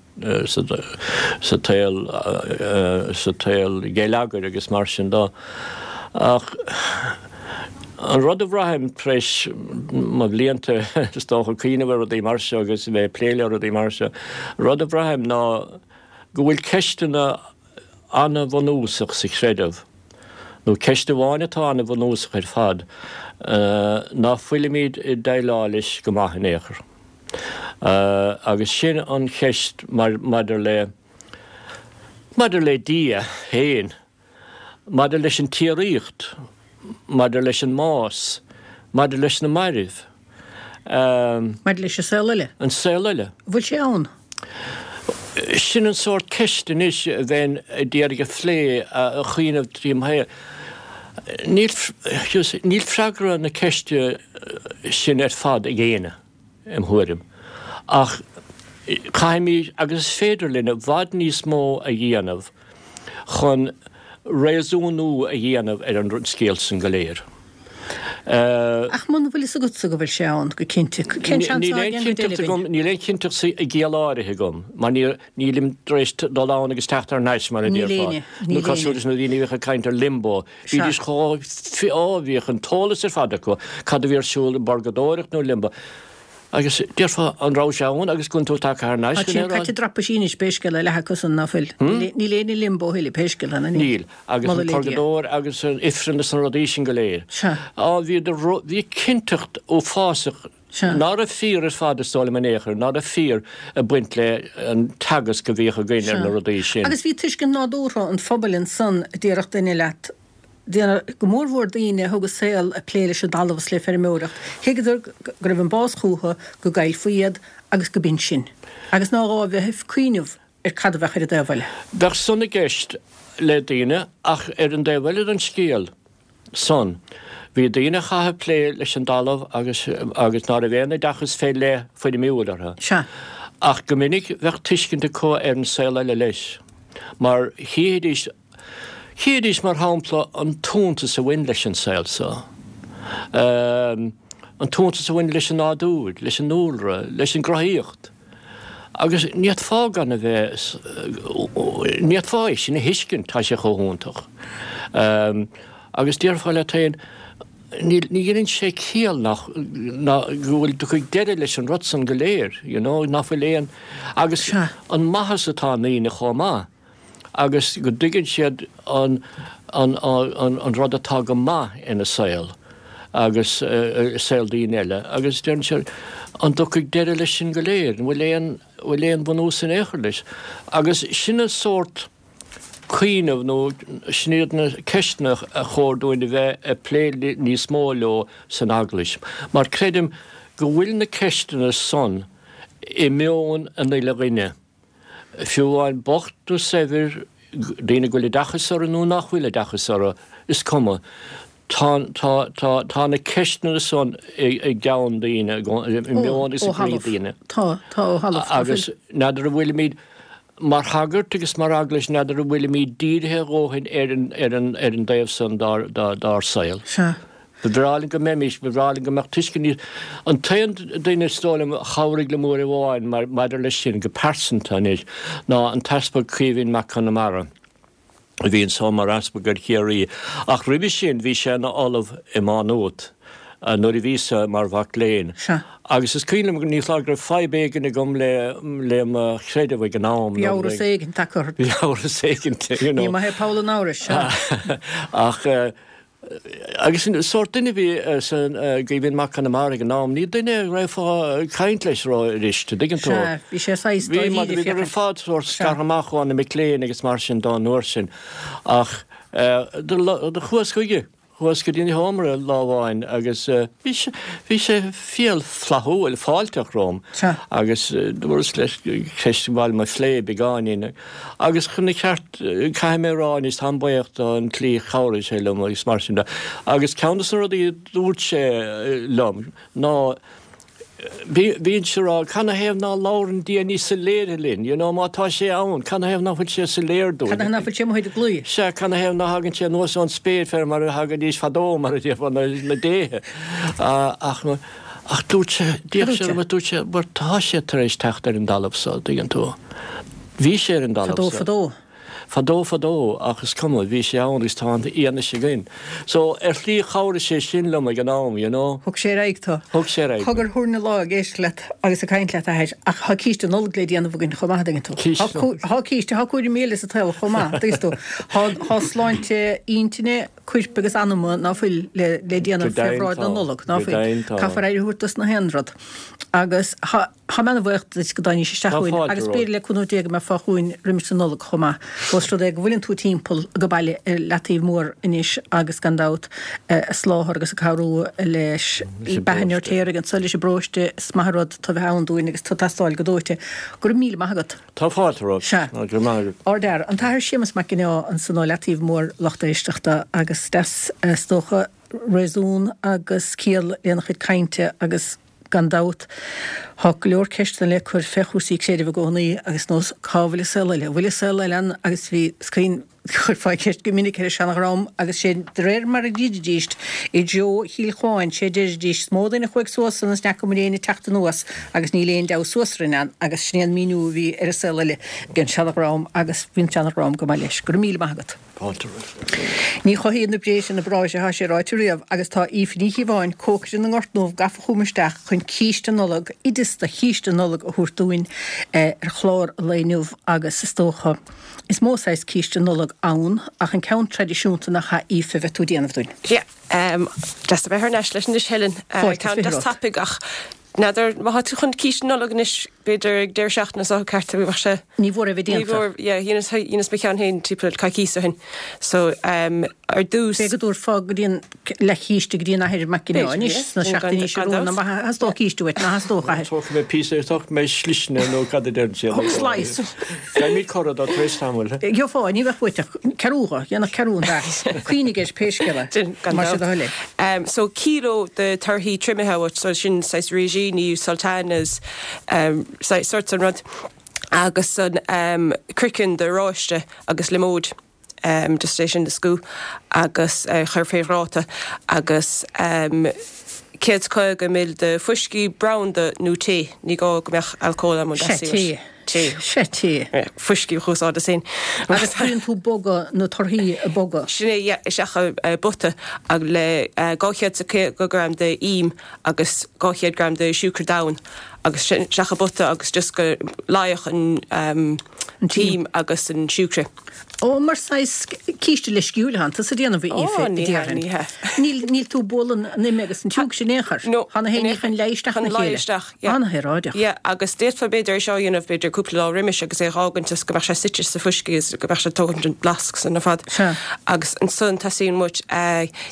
tsaol, sa tsaol geilleagair agus mar sin de. Ach an rud a bhraithim tar éis mo bhlianta, is dócha, cuimhneamh ar rudaí mar seo agus a bheith ag plé le rudaí mar seo, an rud a bhraithim ná go bhfuil ceisteanna an-bhunúsach sa chreideamh, nó ceist amháin atá an-bhunúsach ar fad, ná fuilimid ag déileáil leis go maith in aon chor. Agus sin an cheist maidir le, maidir le Dia féin, maidir leis an tsíoraíocht, maidir leis an mbás, maidir leis na mairbh. Maidir leis an saol eile. An saol eile. An bhfuil sé ann? Sin an sórt ceist anois a bheinn ag iarraidh a phlé, a chuimhneamh tríom féin. Níl, níl freagra na ceiste sin ar fad ag éinne, im thuairim. Ach caithfimid, agus is féidir linn, i bhfad níos mó a dhéanamh chun réasúnú a dhéanamh ar an scéal san go léir. Ach muna bhfuil fhios agatsa go bhfuil sé ann, go cinnte, cén seans atá againn go deimhin? Níl aon chinnteacht i gciall áirithe agam, mar nílim tar éis dul ann agus teacht thar n-ais, mar a déarfá. Nó cosúil leis na daoine a bhíodh ag caint ar limbo, bhídís chomh, ó, bhíodh an t-eolas ar fad acu, cad a bhí ar siúl i bpurgadóireacht nó limbo. Agus déarfá, an raibh sé ann agus go bhfuil tú tagtha thar n-ais go Tá siad caite drapaisí anois pé scéal é, leath acu san ná fuil. Níl éinne i limbo a thuilleadh pé scéal é, ná níl. Níl. Agus an purgadóir agus an ifreann is na rudaí sin go léir. Sea. Á, bhí, bhí cinnteacht uafásach Sea. ná raibh fíor ar fad is dóigh liom in aon chor, ná raibh fíor ag baint le an teagasc a bhíodh againn ar na rudaí sin. Agus bhí tuiscint nádúrtha an phobail ansan a déarfadh duine leat, Go mórmhór daoine a thug a saol ag plé leis an dtalamh is le feirmeoireacht, thuigeadar go raibh an bás chúthu, go gcaillfí iad agus go b'in sin, agus ná gá a bheith ag cuimhneamh ar cad a bheadh ar an dtaobh eile. Bheadh san i gceist le daoine ach ar an dtaobh eile den scéal san, bhí daoine a chaith ag plé leis an dtalamh agus agus ná raibh aon oideachas fé leith foirmiúil orthu. Sea. Ach go minic bheadh tuiscint acu ar an saol eile leis, mar chífidís Chídís, mar shampla, an t-iontas a bhain leis an saol so, an t-iontas a bhain leis an nádúr, leis an ndúlra, leis an gcruthaíocht. Agus ní fhéadfá gan a bheith, ní fhéadfá é sin a thuiscint, tá sé chomh hiontach. Agus déarfá leat féin, ní dheineann sé ciall nach, ná go bhfuil, dtiocfaidh deireadh leis an rud san go léir, you know, ná fuil aon, agus an maitheas atá i ndaoine chomh maith. agus go dtuigeann siad an an rud atá go maith ina saol agus i saol daoine eile agus deireann siad an dtiocfaidh deireadh leis sin go léir, an bhfuil aon bhfuil aon bhunús in aon chor leis? Agus sin an sórt cuimhneamh nó sin iad na ceisteanna a chóir dúinn a bheith ag plé níos mó leo san Eaglais mar creidim go bhfuil na ceisteanna san i meon an uile dhuine. Fiú amháin bocht nó saibhir, daoine go bhfuil oideachas orthu nó nach bhfuil oideachas orthu, is cuma, tá, tá, tá, tá na ceisteanna san i gceann daoine, i meon agus i gcroí daoine. Tá, tá ó thalamh. Agus n'fheadar an bhfuilimid, mar shagairt agus mar eaglais, n'fheadar an bhfuilimid dírithe a dhóthain ar an, ar an, ar an dtaobh san dár, dár, dár saol. Sea. Ba bhreá linn go mbeimis, ba bhreá linn go mbeadh tuiscint níos. An t-aon duine is dóigh liom a chabhraigh liom uair amháin maidir leis sin, go pearsanta anois, ná an tEaspag Caoimhín Mac Conmara, a bhí anso mar Easpag ar Chiarraí, ach roimhe sin bhí sé ina Ollamh i Má Nuat nuair a bhíos-sa mar mhac léinn. Agus is cuimhin liom, ní foláir go raibh fadhb éigin agam le le mo chreideamh ag an am. Bhí amhras éigin tagtha ort. Bhí amhras éigin, you know. Ní maith é poll an amhrais, sea. Ach. Agus an sórt duine a bhí san gCaoimhín Mac Conmara ag an am, ní duine a raghfá ag caint leis ró-fhuirist, an dtuigeann tú? Sea, bhí sé saghas Bhí, mar bhíodar ar fad sórt scartha amach ó na mic léinn agus mar sin dó an uair sin. Ach do chuas chuige, chuas go dtí an seomra lá amháin agus bhí sé, bhí sé fial flaithiúil, fáilteach romham. Sea. Agus dúras leis ceist ba mhaith liom a phlé beagáinín. Agus chun an cheart, caithfidh mé a rá anois, táim buíoch don tslí a chabhraigh sé liom agus mar sin de. Agus ceann de na rudaí a dúirt sé liom ná, bhínnse ag rá, canathaobh ná labhrann Dia níos soiléire linn, you know, má tá sé ann, canathaobh ná fuil sé soiléir dúinn? Canathaobh ná fuil sé amuigh ar an gclaí? Sea, canathaobh ná thagann sé anuas ón spéir fé mar a thagaidís fadó, mar a déarfá, na déithe. Ach. Ach dúirt sé, d'fhéach sé orm agus dúirt sé, bhuel tá sé tar éis teacht ar an dtalamh so, dtuigeann tú. Bhí sé ar an dtalamh so. Fadó fadó. Fadó fadó, ach is cuma, bhí sé ann agus tá an fhianaise againn. So, ar shlí chabhraigh sé sin liom ag an am, you know. Thug sé ar aghaidh tú. Thug sé ar aghaidh mé. Cogar thabharfainn an lá ag éisteacht leat agus ag caint leat, a Athair, ach tá císte Nollag le déanamh againn chomh maith, an dtuigeann tú. Císte Nollag. Tá císte, tá cúraimí eile sa tsaol chomh maith, an dtuigeann tú. Tá, tá sláinte intinne, cuirp agus anama ná fuil le déanamh fé bhráid na Nollag, ná fuil. Caithfear aire a thabhairt dos na haon rud. Agus tá mé ana-bhuíoch duit go dtáinís isteach chugainn agus b'fhéidir le cúnamh Dé go mbeifeá chugainn roimis an Nollaig chomh maith. Ós rud é go bhfuileann tú timpeall go baile i Leataobh Mór anois agus gan dabht ag soláthar agus ag cabhrú leis Beatha an Fheirtéaraigh anso leis an bparóiste is maith an rud tú a bheith ann dúinn agus tú ag teastáil go dóite. Go raibh míle maith agat. Tá fáilte romhat. Sea. Go raibh maith agat. Ardfhear. An tAthair Séamus Mac Ginneá ansan ó Leataobh Mór lucht éisteachta agus. agus deas is dócha réasún agus ciall lena chuid cainte agus gan dabht tá go leor ceisteanna le cur fé chúrsaí creidimh i gcónaí agus nós cá bhfuil an saol eile, an bhfuil an saol eile ann agus bhí is cuimhin Chuirfeá ceist go minic ar an seanadhream agus sé de réir mar a deiridíst i dtreo Chill Chuáin, sé deiridíst is mó duine a chuaigh suas ann is n'fheaca muid éinne ag teacht anuas agus níl aon deabhadh suas orainn ann agus sin é an míniú a bhí ar an saol eile ag an seanadhream agus bhí an seanadhream go maith leis. Go raibh míle maith agat. Fáilte romhat. Ní chothaíonn na bréithre na bráithre, tá sé ráite riamh, agus tá Aoife Ní Chíobháin, cócaire na nGort nDubh, gafa chugam isteach chun císte Nollag, oideas do chíste Nollag a thabhairt dúinn ar chlár an lae inniu agus is dócha, Is mó saghas císte Nollag ann, ach an ceann traidisiúnta nach ea Aoife a bheidh tú ag déanamh dúinn? Yeah, deas a bheith thar n-ais leat anois Helen. Fáilte is 20 Ceann deas romhat. tapaidh ach n'fheadar má tá tú chun císte Nollag anois b'fhéidir ag deireadh seachtaine seo ceart bheadh sé Ní mhór é bheith Ní déanta. mhór, yeah, dheineas dheineas mo cheann féin timpeall coicíos ó shin. So, ar dtús. B'fhéidir go dtabharfá go dtí an leathchíste go dtí an Athair Mac Ginneá B'fhéidir, anois yeah. sna seachtainí seo Gan romhainn. dabht. Má theastódh císte uait, ná theastódh, a Athair? Tógfaidh mé píosa, tógfaidh mé sliseanna nó cad a deireann siad. Slice. Gheobhaimid corradh dó tar éis tamaill. Gheofá, ní bheadh uait ach ceathrú dho, dhéanfadh ceathrú an dath. Cuimhnigh air pé scéal é. Sin, gan Más é do dabht. thoil é. So, kíló de torthaí triomaithe uait, so sin saghas résíní, sultanas, saghas sort san rud, agus an craiceann de oráiste agus liomóid. Just é sin a scú agus a chur fé ghráta agus 150 ml de fuiscí, branda nó tae, ní gá go mbeadh alcól ann muna Sea, dteastaíonn uait. tae. Tae. Sea, tae. Fuiscí a úsáideas féin. Agus cuireann tú bogadh na torthaí a bogadh. Sin é, yeah, isteach i bpota le 250 gram de im agus 200 gram de siúcra donn agus sin isteach i bpota agus just go leáfadh an t-im agus an siúcra. Ó, mar saghas císte leisciúil atánn tusa a déanamh, a Aoife, Ó, a ní hea, déarfainn. ní hea. Níl, níl tú ag bualadh an ime agus an tsiúcra in aon chor. No, Tá na in haon ní aon chun leá isteach chun ina leá chéile. isteach, yeah. An-shaoráideach. Yeah, agus d'fhéadfá b'fhéidir é seo a dhéanamh b'fhéidir cúpla lá roimis agus é a dh'fhágaint is go mbeadh sé suite sa fuiscí is go mbeadh sé ag tógaint an blas san ar fad. Sea. Agus ansan teastaíonn uait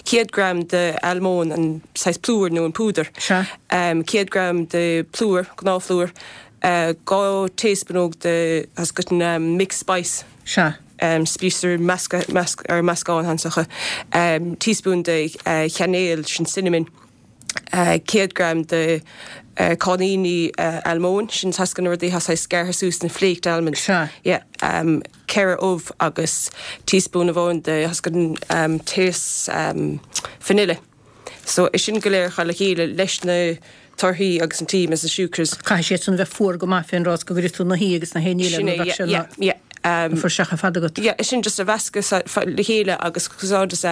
100 gram de almóin, an saghas plúr nó an púdar. Sea. 100 gram de phlúr, gnáthphlúr, 2 taespúnóg de, tá 's agat an mixed spice. Sea. spíosraí measctha, ar meascán ansacha, teaspoon de chainéal, sin cinnamon, 100 gram de cáithníní almóin, sin tá 's agat na rudaí atá saghas gearrtha suas, na flaked almonds. Sea. Yeah. 4 ubh agus teaspoon amháin de, tá 's agat an taos vanilla. So, é sin go léir a chur le chéile leis na torthaí agus an t-im agus an siúcra. Caithfidh siad san a bheith fuar go maith fén dtráth go gcuirfidh tú na hí agus na haon ní eile Sin nó é, bheadh sé yeah, ina yeah, yeah. fuirseach ar fad agat. Yeah, é sin just a mheascadh le chéile agus úsáideas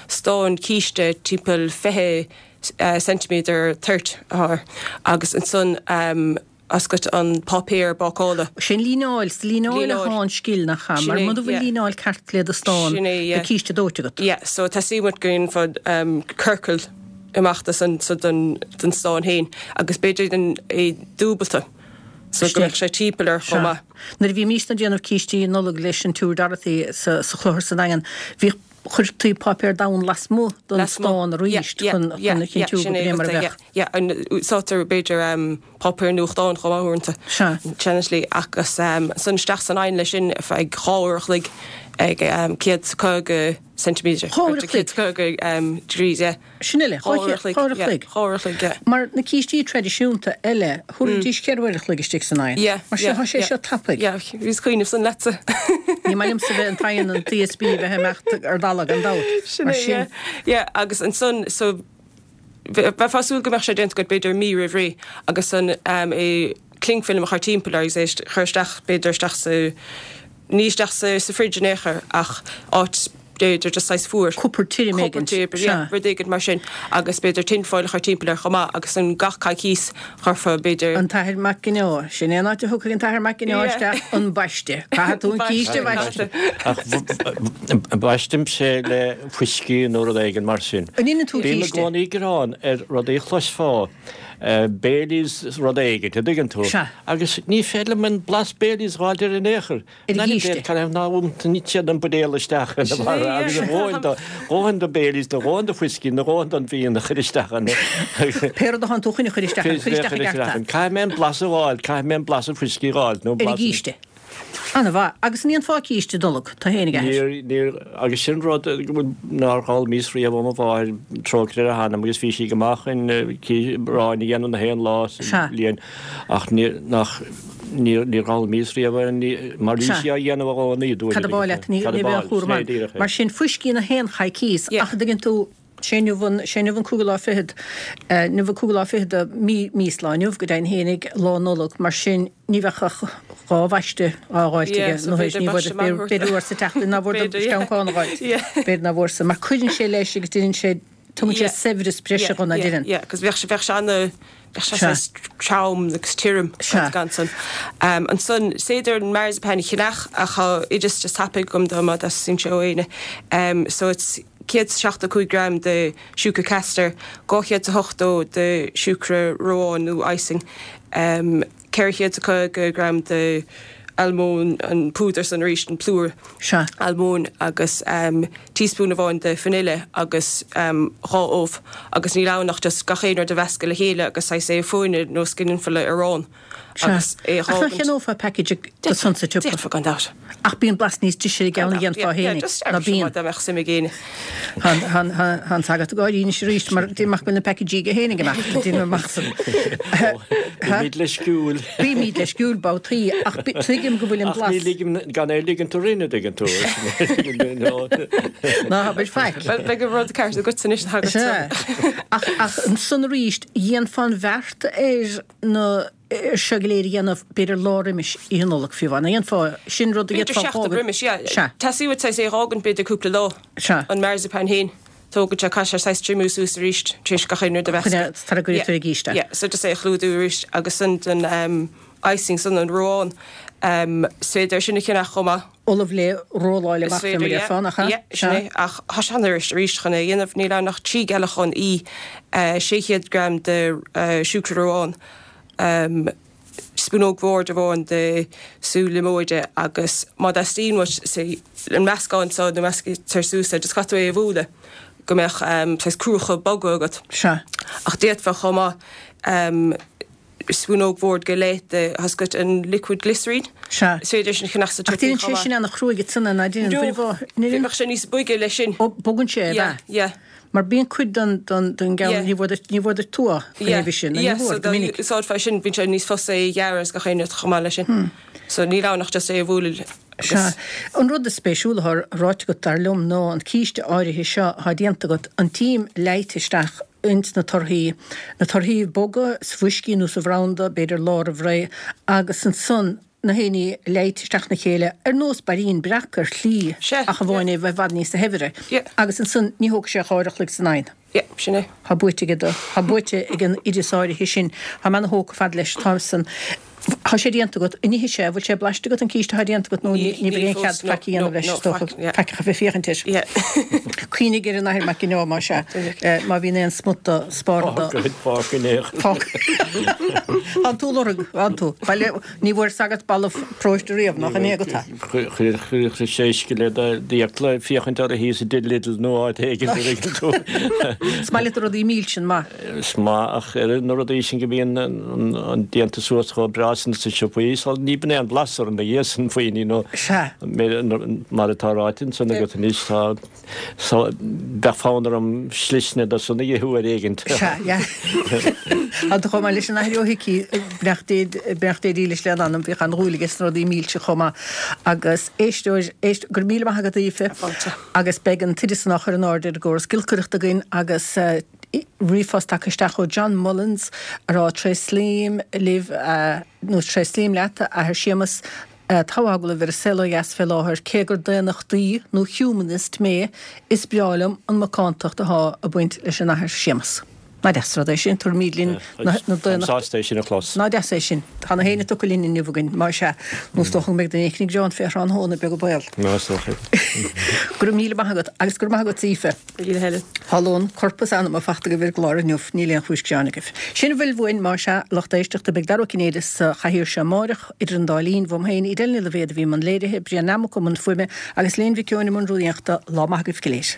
stán císte timpeall 20 ceintiméadar toirt atá air agus ansan tá 's agat an páipéar bácála. Sin líneáil, sa líneáil atá an scil, nach ea? Mar muna bhfuil líneáil ceart le do stán, beidh císte dóite agat. Yeah, so teastaíonn uait go ndéanfá ciorcal amach de san, so den stán féin agus b'fhéidir é dúbalta so go mbeadh sé timpeall air chomh maith. Nuair a bhímísne ag déanamh cístí Nollag leis an tSiúr Dorothy sa Chlochar sa Daingean, bhíodh, chuirtí páipéar donn lasmuigh den stán arís chun a chinntiú go b'é mar a bheadh. Yeah, úsáidtear b'fhéidir páipéar nuachtáin chomh maith uaireanta. Sea. Seanslí agus ansan isteach san oigheann leis sin ar feadh 2 uair a chloig ag 150 ceintiméadar. 2 uair a chloig? 150 degrees, yeah. Sin uile, 2 uair a chloig. 2 uair a chloig, yeah. Mar na cístí traidisiúnta eile, thabharfaidís 4 uair a chloig istigh san oigheann. Yeah, Mar sin, yeah, tá sé yeah. seo tapaidh. Yeah, bhíos ag cuimhneamh san leatsa. Ní maith liomsa bheith an t-oigheann an ESB bheith ag imeacht ar dalladh gan dabht. Sin Mar é, sin. yeah. Yeah, agus ansan, so, Bheifeá ag súil go mbeadh sé déanta agat b'fhéidir mí roimh ré agus an é cling film a chur timpeall air agus é a chur isteach b'fhéidir isteach sa, ní isteach sa sa fridge in aon chor ach áit b'fhéidir just saghas fuar. Cupard tirim éigint. Cupard tirim, yeah, rud éigint mar sin agus b'fhéidir tin foil a chur timpeall air chomh maith agus an gach coicíos chuirfeá b'fhéidir. An tAthair Mac Ginneá, sin é an áit a thiocfaidh an tAthair Mac Ginneá isteach, an baiste. Caithfidh tú an císte a bhaisteadh. Ach baistimse le fuiscí nó rud éigin mar sin. An itheann tú Bím i císte? gcónaí ag gearán ar rudaí a chloisfeá, Baileys rud éigin, an dtuigeann tú? Sea. Agus ní féidir liom an blas Baileys a dh'fháilt air in aon chor. Ar an gcíste. Cá n-iompaíonn siad an buidéal isteach ina bharra agus a dhóthain do, dhóthain do Baileys, do dhóthain do fuiscí, nó dhóthain don fhíon a chur isteach ann. Pé rud atánn tú chun a chur isteach ann, cuir isteach i gceart é. Caithfidh mé an blas a dh'fháil, caithfidh mé an blas an fuiscí a dh'fháilt nó Ar an blas an. gcíste. Ana-mhaith. Agus an ndéanfá císte Nollag, tú fhéinig, a athair? Níor, níor, agus sin rud nár fhoghlaimíos riamh ó mo mháthair, trócaire ar a hanam, agus bhí sí go maith chun arán a dhéanamh na haon lá sa bhliain, ach níor, nach, níor, níor fhoghlaimíos riamh é, ní, mar bhí sí á dhéanamh i gcónaí, dúirt. Cad ab áil leat, ní, ní bheadh aon chúram ann. Mar sin, fuiscí na haon choicíos, ach an dtuigeann tú, Sé inniu an, sé inniu an cúigiú lá fichead, inniu an cúigiú lá fichead de mí, mí is lá inniu go deimhin fhéinig, Lá Nollag, mar sin ní bheadh ach dhá bhaiste á dh'fháilt aige, nó théis, ní bhfuair, b'fhéidir uair sa tseachtain ná bhfuair do sceancán a dh'fháilt, b'fhéidir ná bhfuair sa, mar cuireann sé leis agus deineann sé, tugann sé saibhreas breise dho, ná deineann? Yeah, cos bheadh sé, bheadh sé ana, bheadh sé saghas trom agus tirim gan san. Ansan, is féidir an marzipan a cheannach ach tá oideas just tapaidh agam dó má theastaíonn sé ó éinne. So it's. 175 gram de siúcra castor, 280 de siúcra reoáin nó icing, 450 gram de almóinn, an púdar san arís, an plúr almóinn agus teaspoon amháin de vanilla agus dhá ubh agus níl ann ach just gach aon rud a mheascadh le chéile agus saghas é a phuaine nós go ndéanfá le arán. Sea. Agus é a Ach nach gceannófá package de san sa tsiopa? D'fhéadfá gan dabht. Ach bíonn blas níos deise ar an gceann a dhéanfá fhéinig, ná bíonn? Dá mbeadh suim ag éinne. Tá an sagart ag gáirí anois arís mar déan amach go bhfuil na packageí aige fhéinig amach. Déan amach san. Bímid leisciúil. Bímid leisciúil babhtaí ach tuigim go bhfuil an blas. Ach ní ligim gan é a ligint orainn, a dtuigeann tú. Ná habair faic. Bhuel, beidh an rud ceart agat anois, a shagairt. Sea. Ach ansan arís, dhéanfá an bheart ar na ar seo go léir a dhéanamh, b'fhéidir lá roimis Oíche Nollag fiú amháin. An ndéanfá sin rud a B'fhéidir d'fhéadfá seachtain roimis, yeah. Sea. Teastaíonn uait saghas é a dh'fhágaint b'fhéidir cúpla lá. Sea. An marzipan fhéin, tógann sé, caithfidh sé saghas triomú suas arís tar éis gach aon rud a mheascadh. Sara gcuirfidh tú ar an gcíste é. Yeah, so just é a chlúdú arís agus san den um, icing san an reoán, um, is féidir sin a cheannach chomh maith. ullamh le rolláil amach fé mar a déarfá, nach ea? Yeah, sin é. Ach tá sé an-fhuirist arís chun é a dhéanamh. Níl ann ach 3 gealachán í, 600 gram de siúcra reoáin, spúnóg bhoird amháin de sú liomóide agus má theastaíonn uait say an meascán seo nó measctar suas é, just caithfidh tú é a bhualadh go mbeadh saghas cruacha boga agat. Sea. Ach d'fhéadfá chomh maith spúnóg bhoird go leith de tá a fhios agat an liquid glycerine. Sea. Is féidir sin a cheannach sa Ach tsiopa déanann chomh sé maith. sin ana-chruaidh ansan, ná déanann? No, bheadh sé níos boige leis sin. Ó, bogann sé, ab Yeah, ea? yeah. Mar bíonn cuid den, den, den gceann, Yeah. ní bhfuair duit, ní bhfuair duit tua faoin Yeah, uimhir sin, nó ní yeah, bhfuair, so go dá minic. úsáidfeá sin, bíonn sé níos fusa é a ghearradh is gach aon rud chomh maith leis sin. So níl ann ach just é a bhualadh Sea. agus. An rud is spéisiúla atá ráite agat, dar liom, ná an císte áirithe seo atá déanta agat, an t-im leáite isteach ins na torthaí, na torthaí boga sa bhfuiscí nó sa bhranda, b'fhéidir lá roimh ré, agus ansan na héinní leáite isteach 'na chéile, ar nós bairín breac ar shlí, Sea, ach amháin é bheith i bhfad níosa shaibhre. Yeah. Agus ansan ní thógfaidh sé ach uair a chloig san oigheann. Yeah, sin é. Tá buaite aige do, tá buaite ag an oideas áirithe sin. Tá mé ana thógtha fad leis, tá san. Tá sé déanta agat, an ithfidh sé, bhfuil sé blaiste agat an císte atá déanta agat nó ní bheidh aon chead faic a dhéanamh leis, is dócha, faic ach a bheith féachaint air. Cuimhnigh ar an Athair Mac Ginneá, más ea, má bhíonn aon smut do spártha do. Fág in aon. Fág. Thánn tú lorg, thánn tú. Baile, ní bhfuair sagart balla paróiste riamh, nach in é agat é? Chuir sé uisce le d'fhiacla féachaint orthu thíos i dtigh Lidl nó áit éigin a dtuigeann tú. Is maith leat na rudaí milse, an maith? Is maith ach oiread na rudaí sin go mbíonn an déanta suas chomh breá sin sna siopaí so ní bíonn aon blas orthu ina dhiaidh sin faoin nó Sea. mar atá ráite ansan agat anois tá so bheadh fonn orm slisne de san a ithe uair éigint. Sea, yeah. Tá tú chomh maith leis an Athair Ó hIcí, beannacht Dé, beannacht Dé dílis lena anam, bhíodh an-dhúil aige sna rudaí milse chomh maith. Agus éisteoir, éist, go raibh míle maith agat Aoife. Fáilte. Agus beidh an t-oideas san á chur in airde ar an gcóras giolcaireachta againn agus ríomhphost tagtha isteach ó John Mullins a rá Tréaslaím libh nó tréaslaím leat a Athair Séamus tá agallamh ar An Saol Ó Dheas fé láthair cé gur daonnachtaí nó humanist mé is breá liom an macántacht athá ag baint leis an Athair Séamus. Ná deas rud é sin, tabharfaimid linn na Táim sásta é sin a chlos. Ná deas é sin. Tá na héinne tugtha linn inniu againn, má sea, nó is dócha go mbeidh duine éicint ag gearán fé thráthnóna, beag an baol. Ná is dócha. Go raibh míle maith agat, agus go raibh maith agat, Aoife. Míle Helen. Tá lón coirp is anama fachta agaibh ar an gclár inniu, níl aon chúis gearáin agaibh. Sin a bhfuil uainn, má sea, lucht éisteachta, beidh Dara Ó Cinnéide sa chathaoir seo amáireach, idir an dá linn, uaim féin, Edel Ní Loibhéad a bhí i mbun léirithe, Brian Nammock i mbun fuaime, agus Léan Mhic Eoin i mbun rúnaíochta. Lá maith agaibh go léir.